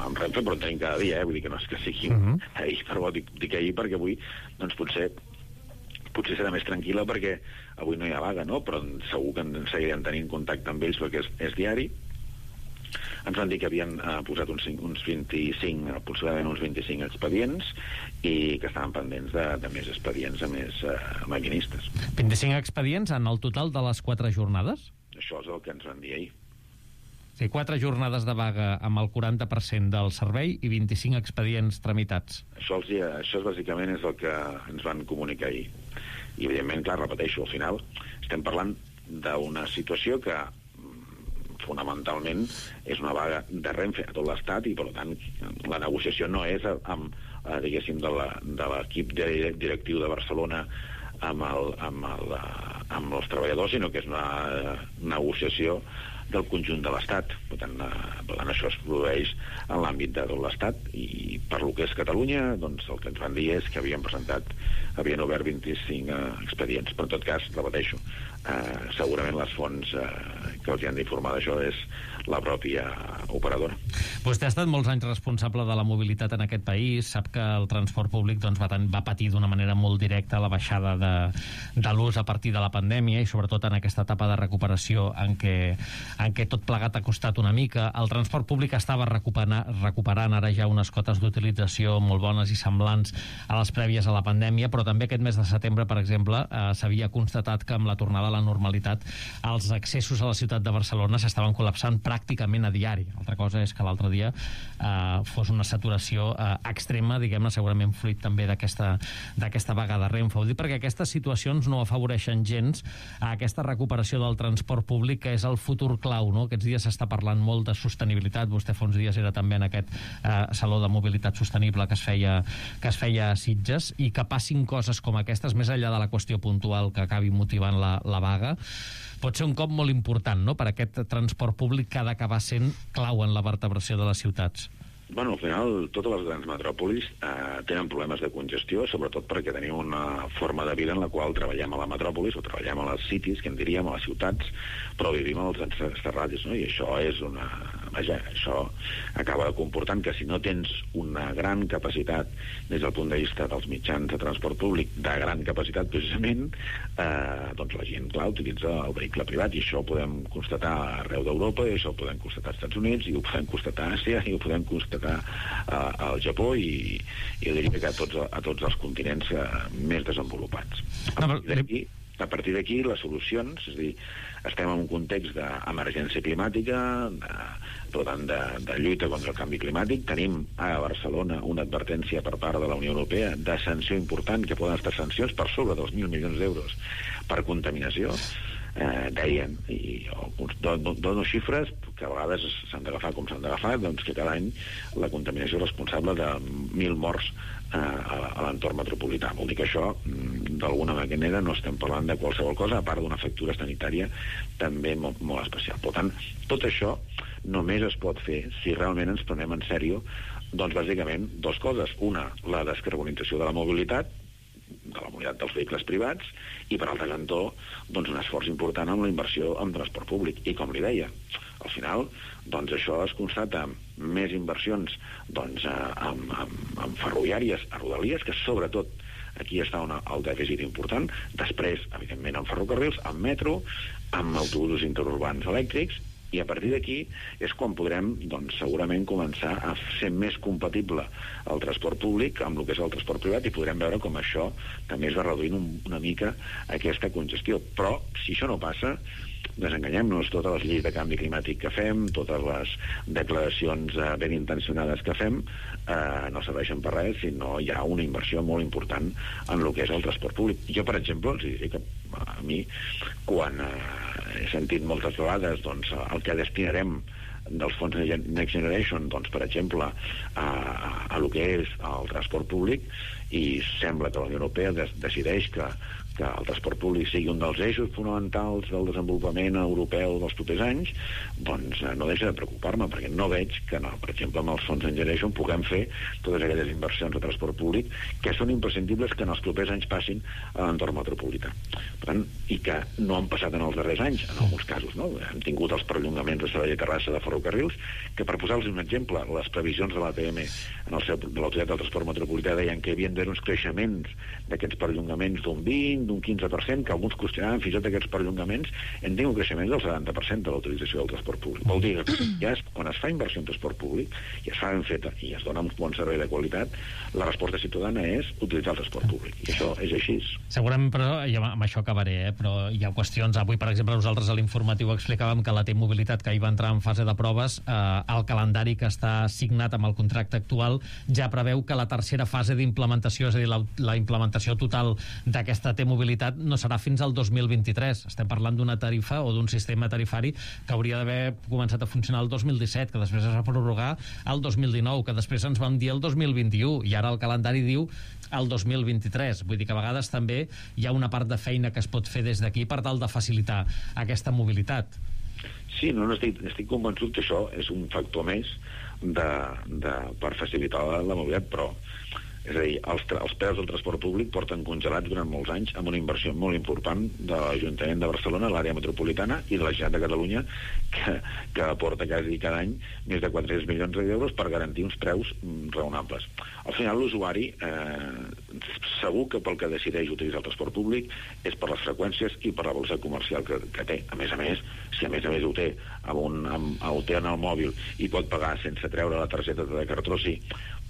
amb Renfe, però en tenim cada dia, eh? Vull dir que no és que sigui uh-huh. ahir, però dic, dic ahir perquè avui doncs, potser potser serà més tranquil·la perquè avui no hi ha vaga, no? Però segur que ens seguirem tenint contacte amb ells perquè és, és diari. Ens van dir que havien eh, posat uns, uns vint-i-cinc, aproximadament uns vint-i-cinc expedients i que estaven pendents de, de més expedients a més eh, maquinistes. vint-i-cinc expedients en el total de les quatre jornades? Això és el que ens van dir ahir. Sí, quatre jornades de vaga amb el quaranta per cent del servei i vint-i-cinc expedients tramitats. Això, els, això és, bàsicament és el que ens van comunicar ahir. I, evidentment, clar, repeteixo, al final estem parlant d'una situació que fonamentalment és una vaga de Renfe a tot l'Estat i, per tant, la negociació no és amb, diguéssim, de l'equip directiu de Barcelona amb, el, amb, el, amb els treballadors, sinó que és una negociació del conjunt de l'Estat. Per tant, per tant, això es produeix en l'àmbit de tot l'Estat i per lo que és Catalunya, doncs el que ens van dir és que havien presentat, havien obert vint-i-cinc eh, expedients. Però en tot cas, repeteixo, eh, segurament les fonts eh, que els han d'informar d'això és la pròpia operadora. Vostè ha estat molts anys responsable de la mobilitat en aquest país, sap que el transport públic doncs, va, ten, va patir d'una manera molt directa la baixada de, de l'ús a partir de la pandèmia i sobretot en aquesta etapa de recuperació en què, en què tot plegat ha costat una mica. El transport públic estava recuperant, recuperant ara ja unes cotes d'utilització molt bones i semblants a les prèvies a la pandèmia, però també aquest mes de setembre, per exemple, eh, s'havia constatat que amb la tornada a la normalitat els accessos a la ciutat de Barcelona s'estaven col·lapsant pràcticament a diari. Altra cosa és que l'altre dia eh, fos una saturació eh, extrema, diguem-ne, segurament fruit també d'aquesta d'aquesta vaga de Renfe. Ho dic perquè aquestes situacions no afavoreixen gens a aquesta recuperació del transport públic, que és el futur clau, no? Aquests dies s'està parlant molt de sostenibilitat. Vostè fa uns dies era també en aquest eh, saló de mobilitat sostenible que es feia, que es feia a Sitges, i que passin coses com aquestes, més enllà de la qüestió puntual que acabi motivant la, la vaga, pot ser un cop molt important, no?, per aquest transport públic que ha d'acabar sent clau en la vertebració de les ciutats. Bueno, al final, totes les grans metròpolis eh, tenen problemes de congestió, sobretot perquè tenim una forma de vida en la qual treballem a la metròpolis, o treballem a les cities, que en diríem, a les ciutats, però vivim als exterralis, no? I això és una... Vaja, això acaba comportant que si no tens una gran capacitat des del punt de vista dels mitjans de transport públic, de gran capacitat precisament, eh, doncs la gent, clar, utilitza el vehicle privat, i això ho podem constatar arreu d'Europa, i això ho podem constatar als Estats Units, i ho podem constatar a Àsia, i ho podem constatar a, al Japó, i, i jo diria que a tots, a tots els continents eh, més desenvolupats. A partir d'aquí, a partir d'aquí, les solucions, és a dir, estem en un context d'emergència climàtica, de, per tant, de, de lluita contra el canvi climàtic. Tenim a Barcelona una advertència per part de la Unió Europea de sanció important, que poden estar sancions per sobre dels mil milions d'euros per contaminació. Eh, deien, i jo dono, dono xifres que a vegades s'han d'agafar com s'han d'agafar, doncs que cada any la contaminació és responsable de mil morts eh, a, a l'entorn metropolità. Vol dir que això, d'alguna manera, no estem parlant de qualsevol cosa, a part d'una factura sanitària també molt, molt especial. Per tant, tot això només es pot fer si realment ens prenem en sèrio, doncs bàsicament dues coses. Una, la descarbonització de la mobilitat, de la mobilitat dels vehicles privats, i per altre cantó, doncs un esforç important en la inversió en transport públic. I com li deia, al final, doncs això es constata amb més inversions doncs, en, en, en ferroviàries, a Rodalies, que sobretot aquí està una, el dèficit important, després, evidentment, en ferrocarrils, en metro, amb autobusos interurbans elèctrics, i a partir d'aquí és quan podrem, doncs, segurament començar a ser més compatible el transport públic amb el que és el transport privat, i podrem veure com això també es va reduint un, una mica aquesta congestió. Però, si això no passa, desenganyem-nos, totes les lleis de canvi climàtic que fem, totes les declaracions eh, ben intencionades que fem, eh, no serveixen per res si no hi ha una inversió molt important en el que és el transport públic. Jo, per exemple, els diré que a mi, quan eh, he sentit moltes vegades doncs, el que destinarem dels fons Next Generation, doncs, per exemple, a, a, a lo que és el transport públic, i sembla que la Unió Europea des, decideix que, que el transport públic sigui un dels eixos fonamentals del desenvolupament europeu dels propers anys, doncs no deixa de preocupar-me, perquè no veig que, no, per exemple, amb els fons Next Generation puguem fer totes aquelles inversions de transport públic que són imprescindibles que en els propers anys passin a l'entorn metropolità. Per tant, i que no han passat en els darrers anys, en alguns casos, no? Hem tingut els perllongaments de Sabadell i Terrassa de ferrocarrils, que, per posar-los un exemple, les previsions de l'A T M en el seu, de l'Autoritat del Transport Metropolità deien que hi havien d'haver uns creixements d'aquests perllongaments d'un vint, d'un quinze per cent, que alguns qüestionaven fins i tot aquests perllongaments, hem tingut creixements del setanta per cent de la utilització del transport públic. Vol dir que ja es, quan es fa inversió en transport públic i es fa ben feta i es dona un bon servei de qualitat, la resposta ciutadana és utilitzar el transport públic. I això és així. Segurament, però, i amb això acabaré, eh? Però hi ha qüestions. Avui, per exemple, nosaltres a l'informatiu explicàvem que la T-Mobilitat, que hi va entrar en fase de proves, eh, el calendari que està signat amb el contracte actual ja preveu que la tercera fase d'implementació, és a dir, la, la implementació total d'aquesta T-Mobilitat no serà fins al dos mil vint-i-tres. Estem parlant d'una tarifa o d'un sistema tarifari que hauria d'haver començat a funcionar el dos mil disset, que després es va prorrogar el dos mil dinou, que després ens vam dir el dos mil vint-i-u, i ara el calendari diu el dos mil vint-i-tres. Vull dir que a vegades també hi ha una part de feina que es pot fer des d'aquí per tal de facilitar aquesta mobilitat. Sí, no, no estic, estic convençut que això és un factor més de, de, per facilitar la, la mobilitat, però és a dir, els, els preus del transport públic porten congelats durant molts anys amb una inversió molt important de l'Ajuntament de Barcelona, l'àrea metropolitana, i de la Generalitat de Catalunya, que, que aporta quasi cada any més de quatre-cents milions d'euros per garantir uns preus raonables. Al final, l'usuari eh, segur que pel que decideix utilitzar el transport públic és per les freqüències i per la velocitat comercial que, que té. A més a més, si a més a més ho té, amb un, amb, ho té en el mòbil i pot pagar sense treure la targeta de cartró, sí,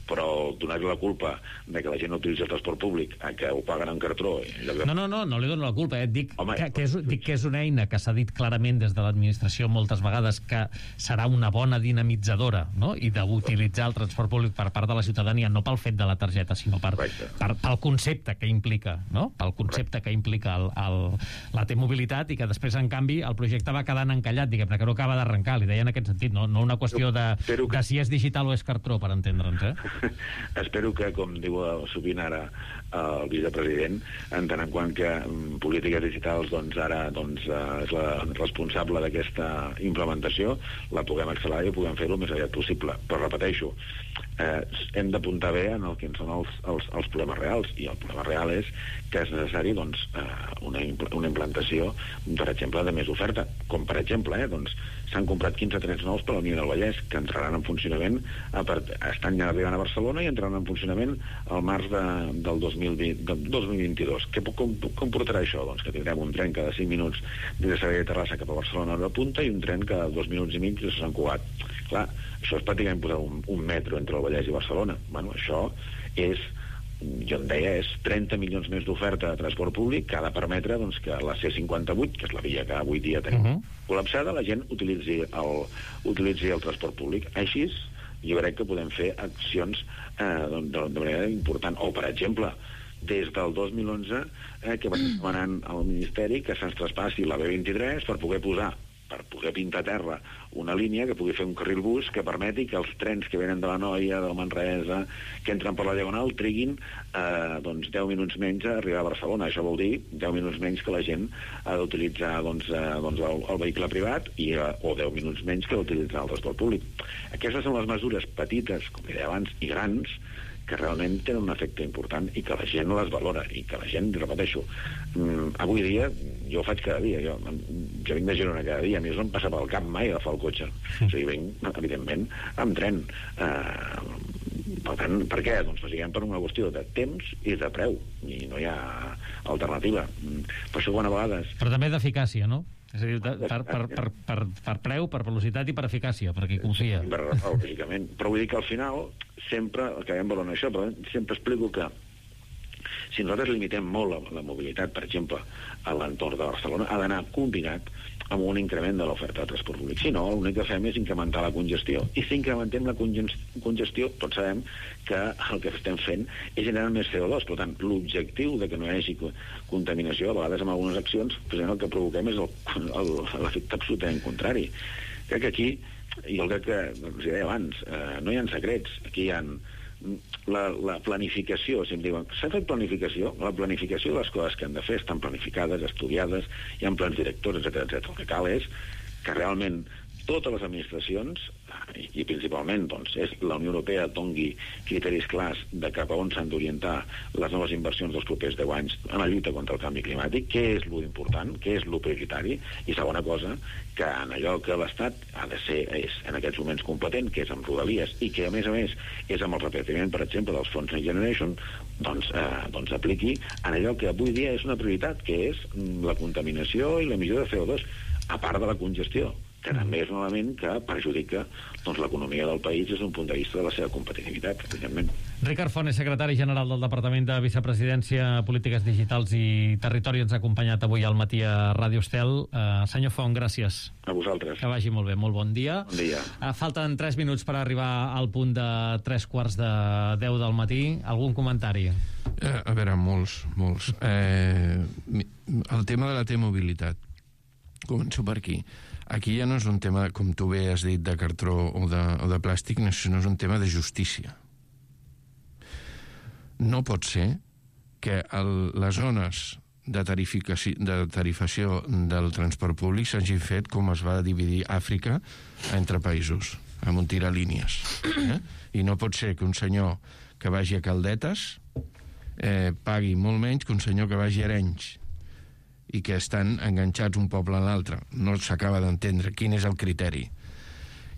però donar-li la culpa de que la gent no utilitza el transport públic a que ho paguen en cartró... De... No, no, no, no li dono la culpa, eh? Dic, Home, que, que és, dic que és una eina que s'ha dit clarament des de l'administració moltes vegades que serà una bona dinamitzadora, no? I d'utilitzar el transport públic per part de la ciutadania, no pel fet de la targeta, sinó per, per, pel concepte que implica, no? Pel concepte Correcte. que implica el, el, la T-mobilitat, i que després, en canvi, el projecte va quedant encallat, diguem-ne, que no acaba d'arrencar, li deia en aquest sentit, no, no una qüestió de, que... de si és digital o és cartró, per entendre'ns, eh? Espero que, com diu sovint ara el vicepresident, en tant en quant que um, polítiques digitals doncs ara doncs, uh, és la responsable d'aquesta implementació, la puguem accelerar i puguem fer-ho el més aviat possible. Però repeteixo, eh, hem d'apuntar bé en el que són els, els, els problemes reals, i el problema real és que és necessari doncs, uh, una, impl una implantació, per exemple, de més oferta. Com per exemple, eh, doncs, s'han comprat quinze trens nous per la línia del Vallès, que entraran en funcionament, a part, estan ja arribant a Barcelona i entraran en funcionament al març de, del dos mil vint, del dos mil vint-i-dos. Què com, com portarà això? Doncs que tindrem un tren cada cinc minuts des de Sabadell de Terrassa cap a Barcelona a hora punta, i un tren cada dos minuts i mig des de Sant Cugat. Clar, això és pràcticament posar un, un metro entre el Vallès i Barcelona. Bueno, això és, jo en deia, és trenta milions més d'oferta de transport públic que ha de permetre doncs, que la C cinquanta-vuit, que és la via que avui dia tenim uh -huh. col·lapsada, la gent utilitzi el, utilitzi el transport públic. Així, jo crec que podem fer accions eh, de, de manera important. O, per exemple, des del dos mil onze, eh, que va demanant al Ministeri que se'ns traspassi la B vint-i-tres per poder posar per poder pintar a terra una línia que pugui fer un carril bus que permeti que els trens que venen de la Noia, del Manresa, que entren per la Diagonal, triguin eh, doncs deu minuts menys a arribar a Barcelona. Això vol dir deu minuts menys que la gent ha d'utilitzar doncs, eh, doncs el, el vehicle privat, i, eh, o deu minuts menys que d'utilitzar el transport públic. Aquestes són les mesures petites, com deia abans, i grans, que realment tenen un efecte important i que la gent les valora, i que la gent, repeteixo, mm, avui dia, jo ho faig cada dia, jo, jo vinc de Girona cada dia, a mi no em passa pel cap mai agafar el cotxe. O sigui, vinc, evidentment, amb tren. Eh, per tant, per què? Doncs bàsicament per una qüestió de temps i de preu, i no hi ha alternativa. Per això, quan a vegades... Però també d'eficàcia, no? És a dir, per, per, per, per, per preu, per velocitat i per eficàcia, perquè hi confia. Per, lògicament. Però vull dir que al final sempre, acabem valorant això, però sempre explico que si nosaltres limitem molt la, la mobilitat, per exemple, a l'entorn de Barcelona, ha d'anar combinat amb un increment de l'oferta de transport públic. Si no, l'únic que fem és incrementar la congestió. I si incrementem la congestió, tots sabem que el que estem fent és generar més C O dos. Per tant, l'objectiu de que no hi hagi contaminació, a vegades amb algunes accions, el que provoquem és l'efecte absolutament contrari. Crec que aquí, i jo crec que, com us deia abans, eh, no hi ha secrets. Aquí hi ha la, la planificació, si em diuen, s'ha fet planificació? La planificació de les coses que han de fer estan planificades, estudiades, hi ha plans directors, etcètera, etcètera. El que cal és que realment totes les administracions, i, i principalment doncs, és la Unió Europea, doni criteris clars de cap a on s'han d'orientar les noves inversions dels propers deu anys en la lluita contra el canvi climàtic, què és l'important, què és lo prioritari, i segona cosa, que en allò que l'Estat ha de ser, és en aquests moments competent, que és amb rodalies, i que a més a més és amb el repartiment, per exemple, dels fons Next Generation, doncs, eh, doncs apliqui en allò que avui dia és una prioritat, que és la contaminació i l'emissió de C O dos, a part de la congestió, que també és un element que perjudica doncs, l'economia del país des d'un punt de vista de la seva competitivitat, evidentment. Ricard Font és secretari general del Departament de Vicepresidència, Polítiques Digitals i Territori. Ens ha acompanyat avui al matí a Ràdio Estel. Uh, senyor Font, gràcies. A vosaltres. Que vagi molt bé. Molt bon dia. Bon dia. Uh, falten tres minuts per arribar al punt de tres quarts de deu del matí. Algun comentari? Eh, a veure, molts, molts. Eh, el tema de la T-mobilitat. Començo per aquí. Aquí ja no és un tema, com tu bé has dit, de cartró o de, o de plàstic, sinó és un tema de justícia. No pot ser que el, les zones de tarificació, de tarifació del transport públic s'hagin fet com es va dividir Àfrica entre països, amb un tiralínies. Eh? I no pot ser que un senyor que vagi a Caldetes eh, pagui molt menys que un senyor que vagi a Arenys, i que estan enganxats un poble a l'altre. No s'acaba d'entendre quin és el criteri.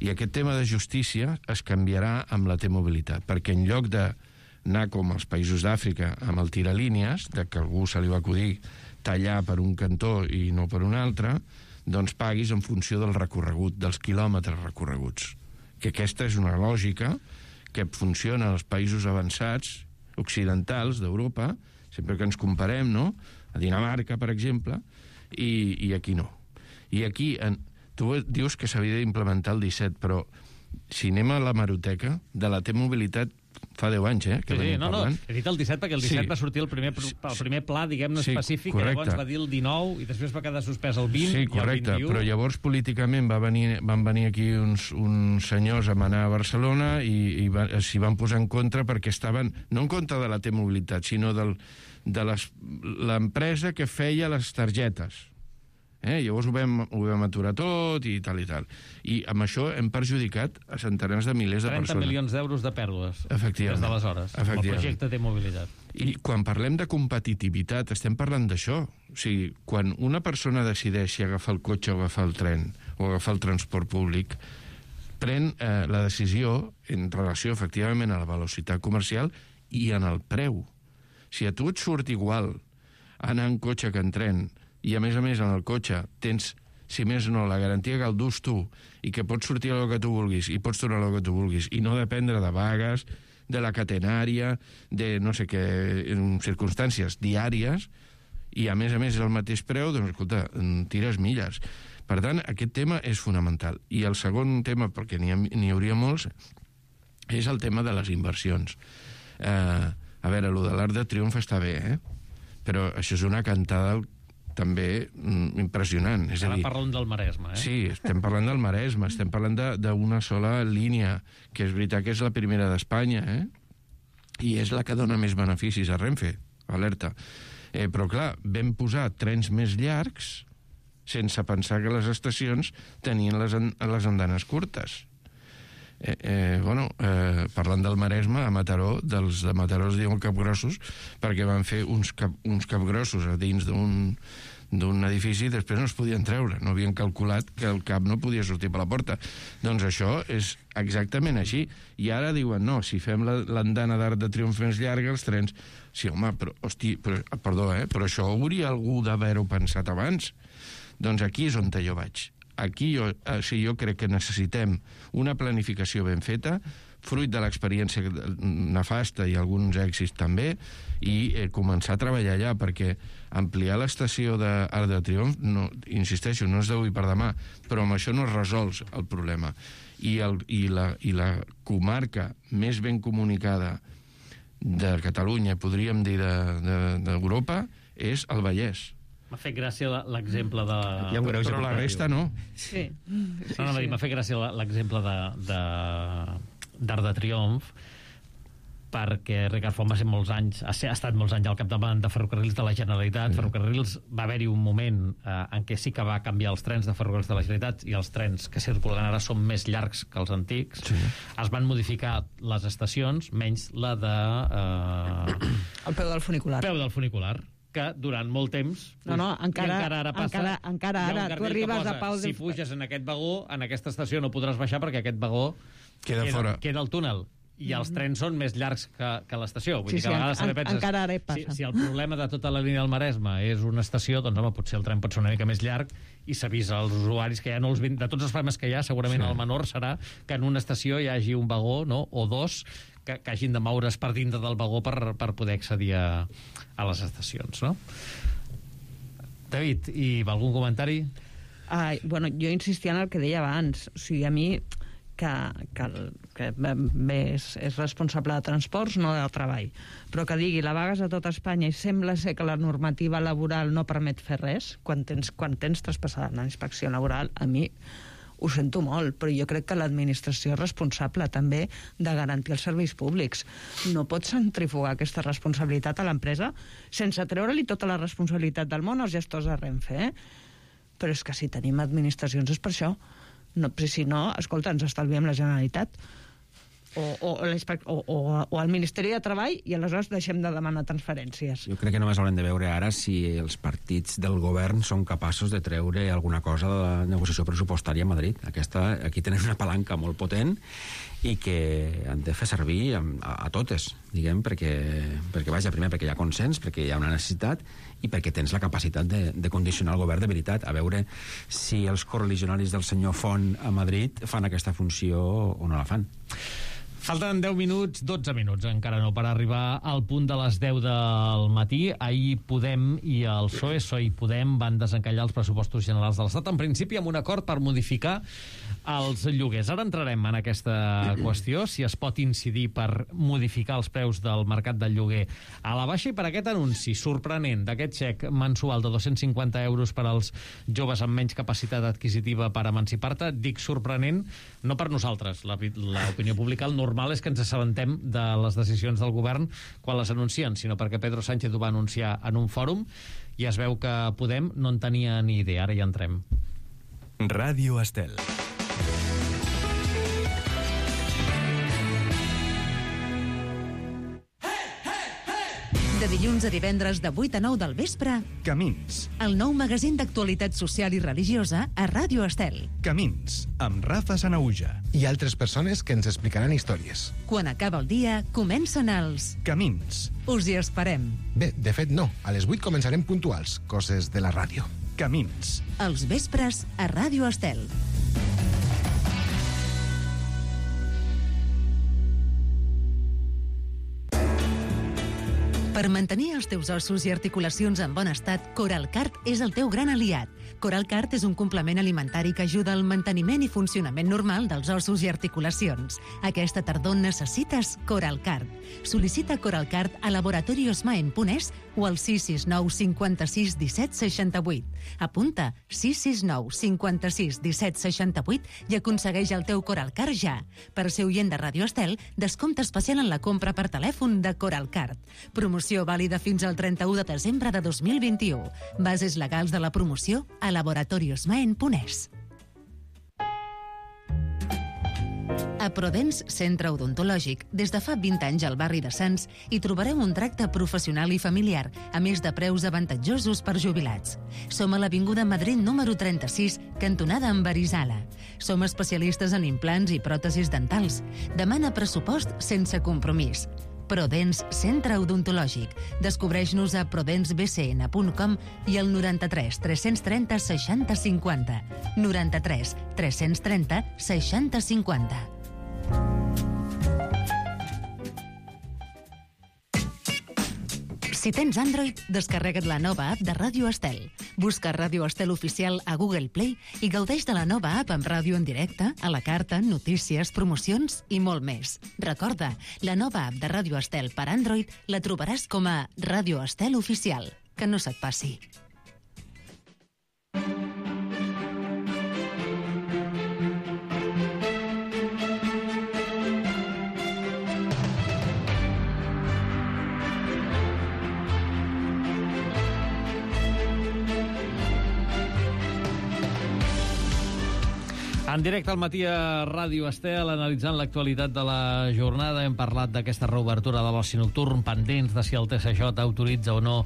I aquest tema de justícia es canviarà amb la T-mobilitat, perquè en lloc d'anar com els països d'Àfrica amb el tiralínies, de que algú se li va acudir tallar per un cantó i no per un altre, doncs paguis en funció del recorregut, dels quilòmetres recorreguts. Que aquesta és una lògica que funciona als països avançats, occidentals d'Europa, sempre que ens comparem, no?, a Dinamarca, per exemple, i, i aquí no. I aquí, en, tu dius que s'havia d'implementar el disset, però si anem a la hemeroteca, de la T-mobilitat fa deu anys, eh, que sí, sí, venim no, parlant. No, he dit el disset perquè el disset sí. va sortir el primer, el primer pla, diguem-ne, sí, específic, correcte. que llavors va dir el dinou i després va quedar suspès el vint sí, i el correcte, vint-i-u. Però llavors políticament va venir, van venir aquí uns, uns senyors a manar a Barcelona i, i va, s'hi van posar en contra perquè estaven, no en contra de la T-mobilitat, sinó del, de l'empresa que feia les targetes. Eh? Llavors ho vam, ho vam aturar tot i tal i tal. I amb això hem perjudicat a centenars de milers de persones. trenta milions d'euros de pèrdues des d'aleshores. El projecte té mobilitat. I quan parlem de competitivitat estem parlant d'això. O sigui, quan una persona decideix si agafar el cotxe o agafar el tren o agafar el transport públic, pren eh, la decisió en relació efectivament a la velocitat comercial i en el preu. Si a tu et surt igual anar en cotxe que en tren, i a més a més en el cotxe tens, si més no, la garantia que el dus tu i que pots sortir a lo que tu vulguis i pots tornar a lo que tu vulguis i no dependre de vagues, de la catenària, de no sé què, en circumstàncies diàries, i a més a més és el mateix preu, doncs escolta, tires milles. Per tant, aquest tema és fonamental. I el segon tema, perquè n'hi n'hi hauria molts, és el tema de les inversions. Eh, a veure, allò de l'Arc de Triomf està bé, eh? Però això és una cantada també mm, impressionant. És Ara a dir, parlem del Maresme, eh? Sí, estem parlant del Maresme, estem parlant d'una sola línia, que és veritat que és la primera d'Espanya, eh? I és la que dona més beneficis a Renfe, alerta. Eh, però clar, vam posar trens més llargs sense pensar que les estacions tenien les, an les andanes curtes. Eh, eh, bueno, eh, parlant del Maresme, a Mataró, dels de Mataró es diuen capgrossos, perquè van fer uns, cap, uns capgrossos a dins d'un d'un edifici i després no es podien treure, no havien calculat que el cap no podia sortir per la porta. Doncs això és exactament així. I ara diuen, no, si fem l'andana d'Arc de Triomf més llarga, els trens... Sí, home, però, hosti, però, perdó, eh, però això hauria algú d'haver-ho pensat abans. Doncs aquí és on jo vaig. Aquí jo, eh, sí, jo crec que necessitem una planificació ben feta, fruit de l'experiència nefasta i alguns èxits també, i eh, començar a treballar allà, perquè ampliar l'estació d'Arc de Triomf, no, insisteixo, no és d'avui per demà, però amb això no es resols el problema. I, el, i, la, i la comarca més ben comunicada de Catalunya, podríem dir d'Europa, de, de, és el Vallès. M'ha fet gràcia l'exemple de... Però la resta no. Sí. sí, no, no, sí. M'ha fet gràcia l'exemple de, de, d'Arc de Triomf, perquè Ricard Font va ser molts anys, ha, ser, ha estat molts anys al capdavant de Ferrocarrils de la Generalitat. Mm. Ferrocarrils va haver-hi un moment eh, en què sí que va canviar els trens de Ferrocarrils de la Generalitat i els trens que circulen ara són més llargs que els antics. Sí. Es van modificar les estacions, menys la de... Eh, el peu del funicular. Peu del funicular, que durant molt temps... No, no, encara, encara ara passa... Encara, encara ara, tu arribes posa, a Pau... Si puges en aquest vagó, en aquesta estació no podràs baixar perquè aquest vagó queda, queda fora. Queda al túnel. I els trens són més llargs que, que l'estació. Vull sí, dir que a vegades sí, en, penses, encara ara passa. Si, si el problema de tota la línia del Maresme és una estació, doncs home, potser el tren pot ser una mica més llarg i s'avisa als usuaris que ja no els... De tots els problemes que hi ha, segurament sí. El menor serà que en una estació hi hagi un vagó, no?, o dos, que, que hagin de moure's per dintre del vagó per, per poder accedir a, a les estacions, no? David, i algun comentari? Ai, bueno, jo insistia en el que deia abans. O sigui, a mi... que, que, que bé, és, és responsable de transports, no de treball, però que digui la vagues a tot Espanya i sembla ser que la normativa laboral no permet fer res, quan tens, quan tens traspassada la inspecció laboral, a mi ho sento molt, però jo crec que l'administració és responsable també de garantir els serveis públics. No pots centrifugar aquesta responsabilitat a l'empresa sense treure-li tota la responsabilitat del món als gestors de Renfe, eh? Però és que si tenim administracions és per això. No, si no, escolta, ens estalviem la Generalitat o, o, o, o, o el Ministeri de Treball i aleshores deixem de demanar transferències. Jo crec que només haurem de veure ara si els partits del govern són capaços de treure alguna cosa de la negociació pressupostària a Madrid. Aquesta, aquí tenen una palanca molt potent i que han de fer servir a, a, a totes, diguem, perquè, perquè, vaja, primer perquè hi ha consens, perquè hi ha una necessitat i perquè tens la capacitat de, de condicionar el govern de veritat, a veure si els correligionaris del senyor Font a Madrid fan aquesta funció o no la fan. Falten deu minuts, dotze minuts, encara no, per arribar al punt de les deu del matí. Ahir Podem i el P S O E, P S O E i Podem, van desencallar els pressupostos generals de l'Estat, en principi amb un acord per modificar els lloguers. Ara entrarem en aquesta qüestió, si es pot incidir per modificar els preus del mercat del lloguer a la baixa, i per aquest anunci sorprenent d'aquest xec mensual de dos-cents cinquanta euros per als joves amb menys capacitat adquisitiva per emancipar-te. Dic sorprenent, no per nosaltres, l'opinió pública, el normal és que ens assabentem de les decisions del govern quan les anuncien, sinó perquè Pedro Sánchez ho va anunciar en un fòrum i es veu que Podem no en tenia ni idea. Ara hi entrem. Ràdio Estel. De dilluns a divendres de vuit a nou del vespre, Camins. el nou magazín d'actualitat social i religiosa a Ràdio Estel. Camins, amb Rafa Sanauja. I altres persones que ens explicaran històries. Quan acaba el dia, comencen els... Camins. Us hi esperem. Bé, de fet no. A les vuit començarem puntuals, coses de la ràdio. Camins. Els vespres a Ràdio Estel. Per mantenir els teus ossos i articulacions en bon estat, Coralcart és el teu gran aliat. Coralcart és un complement alimentari que ajuda al manteniment i funcionament normal dels ossos i articulacions. Aquesta tardor necessites Coralcart. Sol·licita Coralcart a Laboratorios Maen punt es o al sis sis nou cinquanta-sis disset seixanta-vuit. Apunta sis sis nou cinquanta-sis disset seixanta-vuit i aconsegueix el teu Coralcart ja. Per ser oient de Ràdio Estel, descompte especial en la compra per telèfon de Coralcart. Promoció vàlida fins al trenta-u de desembre de dos mil vint-i-u. Bases legals de la promoció a Laboratorios Maen punt es. A Prodens Centre Odontològic, des de fa vint anys al barri de Sants, hi trobareu un tracte professional i familiar, a més de preus avantatjosos per jubilats. Som a l'Avinguda Madrid número trenta-sis, cantonada amb Arizala. Som especialistes en implants i pròtesis dentals. Demana pressupost sense compromís. Prodens Centre Odontològic. Descobreix-nos a prodens b c n punt com i al noranta-tres tres-cents trenta seixanta cinquanta. noranta-tres tres-cents trenta seixanta cinquanta. Si tens Android, descarrega't la nova app de Ràdio Estel. Busca Ràdio Estel Oficial a Google Play i gaudeix de la nova app amb ràdio en directe, a la carta, notícies, promocions i molt més. Recorda, la nova app de Ràdio Estel per Android la trobaràs com a Ràdio Estel Oficial. Que no se't passi. En directe al matí a Ràdio Estel, analitzant l'actualitat de la jornada, hem parlat d'aquesta reobertura de l'oci nocturn, pendents de si el T S J autoritza o no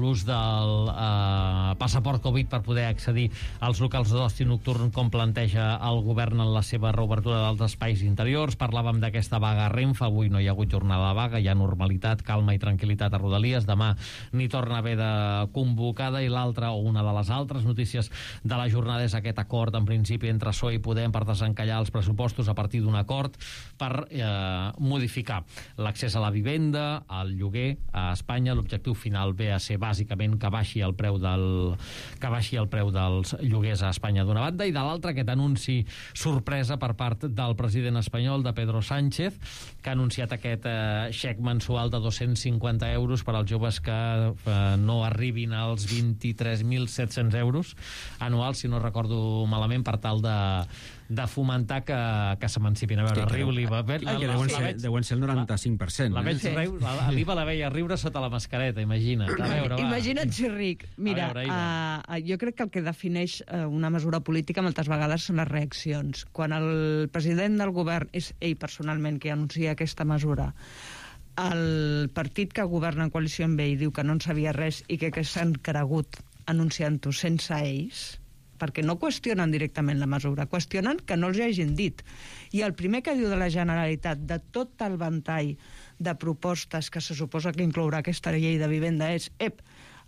l'ús del eh, passaport Covid per poder accedir als locals d'oci nocturn, com planteja el govern en la seva reobertura dels espais interiors. Parlàvem d'aquesta vaga a Renfe, avui no hi ha hagut jornada de vaga, hi ha normalitat, calma i tranquil·litat a Rodalies, demà n'hi torna a haver de convocada, i l'altra, o una de les altres notícies de la jornada, és aquest acord, en principi, entre P S O E i Podem per desencallar els pressupostos a partir d'un acord per eh, modificar l'accés a la vivenda, al lloguer a Espanya. L'objectiu final ve a ser bàsicament que baixi el preu del que baixi el preu dels lloguers a Espanya d'una banda, i de l'altra aquest anunci sorpresa per part del president espanyol, de Pedro Sánchez, que ha anunciat aquest eh, xec mensual de dos-cents cinquanta euros per als joves que eh, no arribin als vint-i-tres mil set-cents euros anuals, si no recordo malament, per tal de de fomentar que, que s'emancipin. A veure, Hosti, riu l'Iva. que deuen ser, deuen ser el noranta-cinc per cent. La veig Sí. riu, l'Iva la veia riure sota la mascareta, imagina't. A veure, va. Imagina't si ric. Mira, A veure, Iva. uh, jo crec que el que defineix uh, una mesura política moltes vegades són les reaccions. Quan el president del govern és ell personalment qui anuncia aquesta mesura, el partit que governa en coalició amb ell diu que no en sabia res i que, que s'han cregut anunciant-ho sense ells, perquè no qüestionen directament la mesura, qüestionen que no els hi hagin dit. I el primer que diu de la Generalitat, de tot el ventall de propostes que se suposa que inclourà aquesta llei de vivenda, és ep,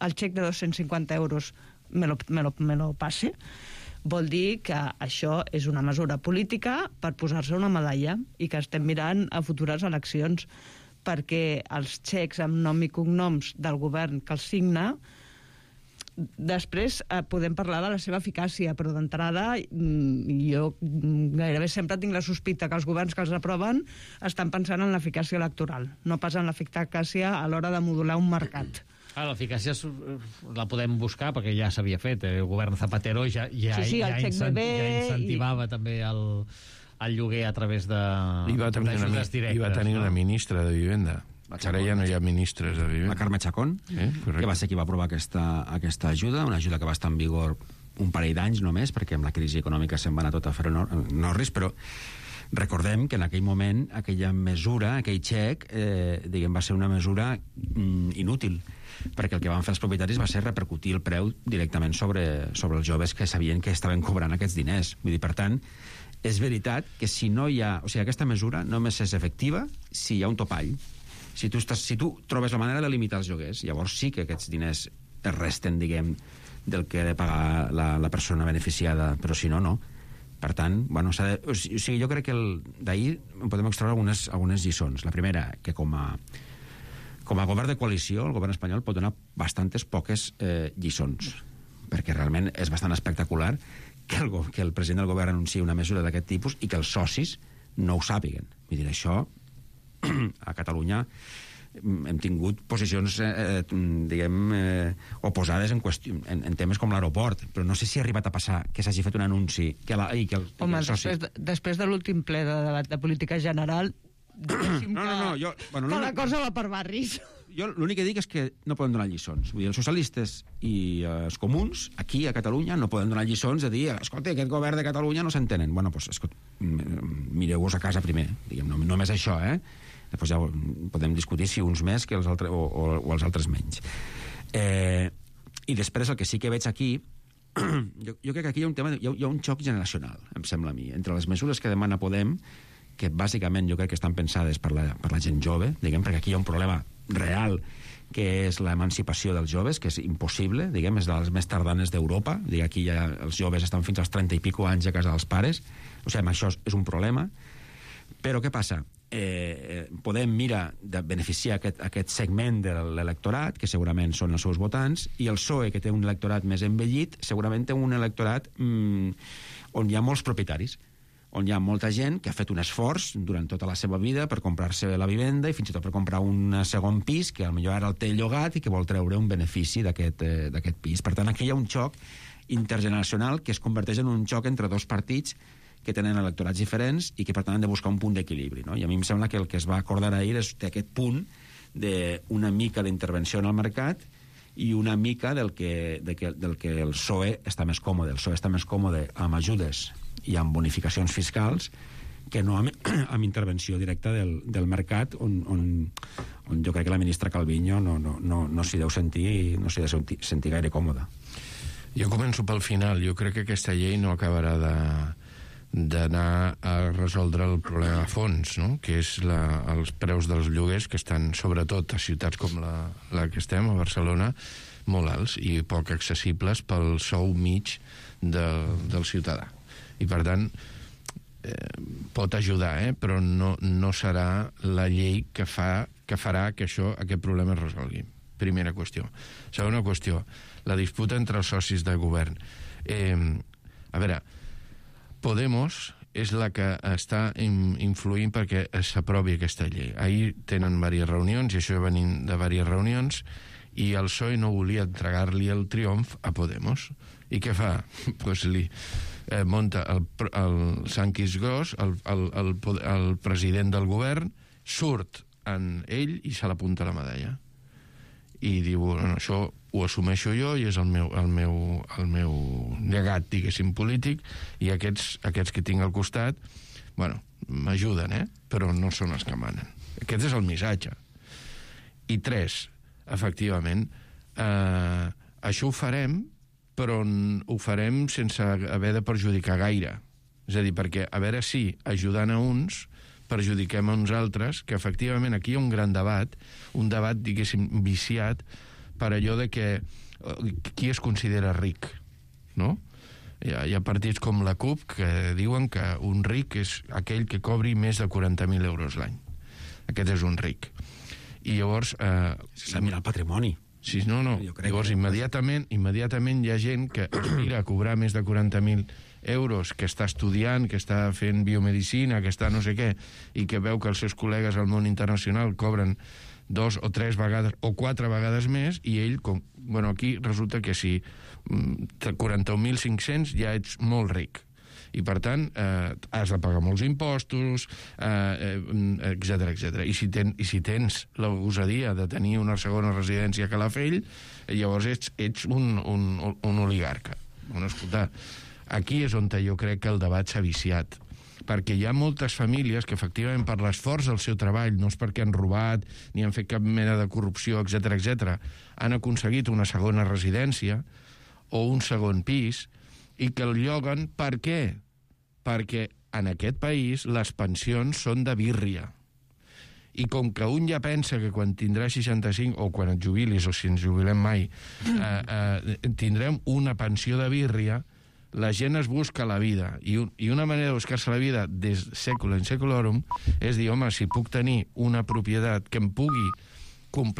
el xec de dos-cents cinquanta euros me lo, me lo, me lo passe. vol dir que això és una mesura política per posar-se una medalla i que estem mirant a futures eleccions, perquè els xecs amb nom i cognoms del govern que els signa, després eh, podem parlar de la seva eficàcia, però d'entrada jo gairebé sempre tinc la sospita que els governs que els aproven estan pensant en l'eficàcia electoral, no pas en l'eficàcia a l'hora de modular un mercat. Ah, l'eficàcia la podem buscar perquè ja s'havia fet. El govern Zapatero ja, ja, sí, sí, ja, incent, ja incentivava i... també el, el lloguer a través de I va tenir, una, directes, i va tenir no? una ministra de Vivenda. Ara ja no hi ha ministres de Vivenda. La Carme Chacón, eh? que va ser qui va aprovar aquesta, aquesta ajuda, una ajuda que va estar en vigor un parell d'anys només, perquè amb la crisi econòmica se'n va anar tot a fer Norris, però recordem que en aquell moment aquella mesura, aquell xec, eh, diguem, va ser una mesura mm, inútil, perquè el que van fer els propietaris va ser repercutir el preu directament sobre, sobre els joves que sabien que estaven cobrant aquests diners. Vull dir, per tant, és veritat que si no hi ha... O sigui, aquesta mesura només és efectiva si hi ha un topall. Si tu, estàs, si tu trobes la manera de limitar els lloguers, llavors sí que aquests diners es resten, diguem, del que ha de pagar la, la persona beneficiada, però si no, no. Per tant, bueno, s'ha de, o sigui, jo crec que d'ahir podem extraure algunes, algunes lliçons. La primera, que com a, com a govern de coalició, el govern espanyol pot donar bastantes poques eh, lliçons, perquè realment és bastant espectacular que el, que el president del govern anunciï una mesura d'aquest tipus i que els socis no ho sàpiguen. Vull dir, això a Catalunya hem tingut posicions eh, diguem, eh, oposades en, qüestió, en, en temes com l'aeroport, però no sé si ha arribat a passar que s'hagi fet un anunci que la, i que el, Home, que el soci... després, de, després de l'últim ple de debat de política general no, no, no, jo, bueno, que la cosa va per barris. Jo l'únic que dic és que no podem donar lliçons. Vull dir, els socialistes i eh, els comuns, aquí a Catalunya, no poden donar lliçons de dir, escolta, aquest govern de Catalunya no s'entenen. Bueno, doncs, escolta, mireu-vos a casa primer, diguem, no, només això, eh? Després ja podem discutir si uns més que els altres, o, o, o els altres menys. Eh, I després el que sí que veig aquí, jo, jo crec que aquí hi ha un tema, hi ha, hi ha un xoc generacional, em sembla a mi, entre les mesures que demana Podem, que bàsicament jo crec que estan pensades per la, per la gent jove, diguem, perquè aquí hi ha un problema real, que és l'emancipació dels joves, que és impossible, diguem, és de les més tardanes d'Europa, diguem, aquí ja els joves estan fins als trenta i pico anys a casa dels pares, o sigui, això és un problema. Però què passa? Eh, Podem mirar de beneficiar aquest, aquest segment de l'electorat, que segurament són els seus votants, i el P S O E, que té un electorat més envellit, segurament té un electorat mm, on hi ha molts propietaris, on hi ha molta gent que ha fet un esforç durant tota la seva vida per comprar-se la vivenda i fins i tot per comprar un segon pis que potser ara el té llogat i que vol treure un benefici d'aquest eh, d'aquest pis. Per tant, aquí hi ha un xoc intergeneracional que es converteix en un xoc entre dos partits que tenen electorats diferents i que per tant han de buscar un punt d'equilibri, no? I a mi em sembla que el que es va acordar ahir és aquest punt d'una mica d'intervenció en el mercat i una mica del que, de que, del que el P S O E està més còmode. El P S O E està més còmode amb ajudes i amb bonificacions fiscals que no amb, amb intervenció directa del, del mercat on, on, on jo crec que la ministra Calviño no, no, no, no s'hi deu sentir no s'hi deu sentir, sentir gaire còmoda. Jo començo pel final. Jo crec que aquesta llei no acabarà de d'anar a resoldre el problema a fons, no? Que és la, els preus dels lloguers que estan, sobretot a ciutats com la, la que estem, a Barcelona, molt alts i poc accessibles pel sou mig de, del ciutadà. I per tant, eh, pot ajudar, eh? Però no, no serà la llei que, fa, que farà que això, aquest problema es resolgui. Primera qüestió. Segona qüestió, la disputa entre els socis de govern. Eh, a veure, Podemos és la que està influint perquè s'aprovi aquesta llei. Ahir tenen diverses reunions, i això venim de diverses reunions, i el P S O E no volia entregar-li el triomf a Podemos. I què fa? Pues li eh, monta el, el Sanquis Gros, el, el, el, el president del govern, surt en ell i se l'apunta la medalla. I diu, bueno, això ho assumeixo jo i és el meu, el meu, el meu llegat, diguéssim, polític, i aquests, aquests que tinc al costat, bueno, m'ajuden, eh? Però no són els que manen. Aquest és el missatge. I tres, efectivament, eh, això ho farem, però ho farem sense haver de perjudicar gaire. És a dir, perquè a veure si, ajudant a uns, perjudiquem a uns altres, que efectivament aquí hi ha un gran debat, un debat, diguéssim, viciat, per allò de que qui es considera ric, no? Hi ha, hi ha partits com la CUP que diuen que un ric és aquell que cobri més de quaranta mil euros l'any. Aquest és un ric. I llavors... Eh, S'ha mirat el patrimoni. Sí, no, no. Llavors, que... immediatament, immediatament hi ha gent que aspira a cobrar més de quaranta mil euros, que està estudiant, que està fent biomedicina, que està no sé què, i que veu que els seus col·legues al món internacional cobren dos o tres vegades o quatre vegades més, i ell, com, bueno, aquí resulta que si quaranta mil cinc-cents ja ets molt ric. I, per tant, eh, has de pagar molts impostos, eh, etcètera, etcètera. I si, ten, i si tens la gosadia de tenir una segona residència a Calafell, llavors ets, ets un, un, un oligarca. Bueno, escolta, aquí és on jo crec que el debat s'ha viciat, perquè hi ha moltes famílies que efectivament per l'esforç del seu treball, no és perquè han robat ni han fet cap mena de corrupció, etcètera, etcètera, han aconseguit una segona residència o un segon pis i que el lloguen. Per què? Perquè en aquest país les pensions són de birria. I com que un ja pensa que quan tindrà seixanta-cinc, o quan et jubilis, o si ens jubilem mai, eh, eh, tindrem una pensió de birria, la gent es busca la vida. I, un, i una manera de buscar-se la vida des seculum in seculorum és dir, home, si puc tenir una propietat que em pugui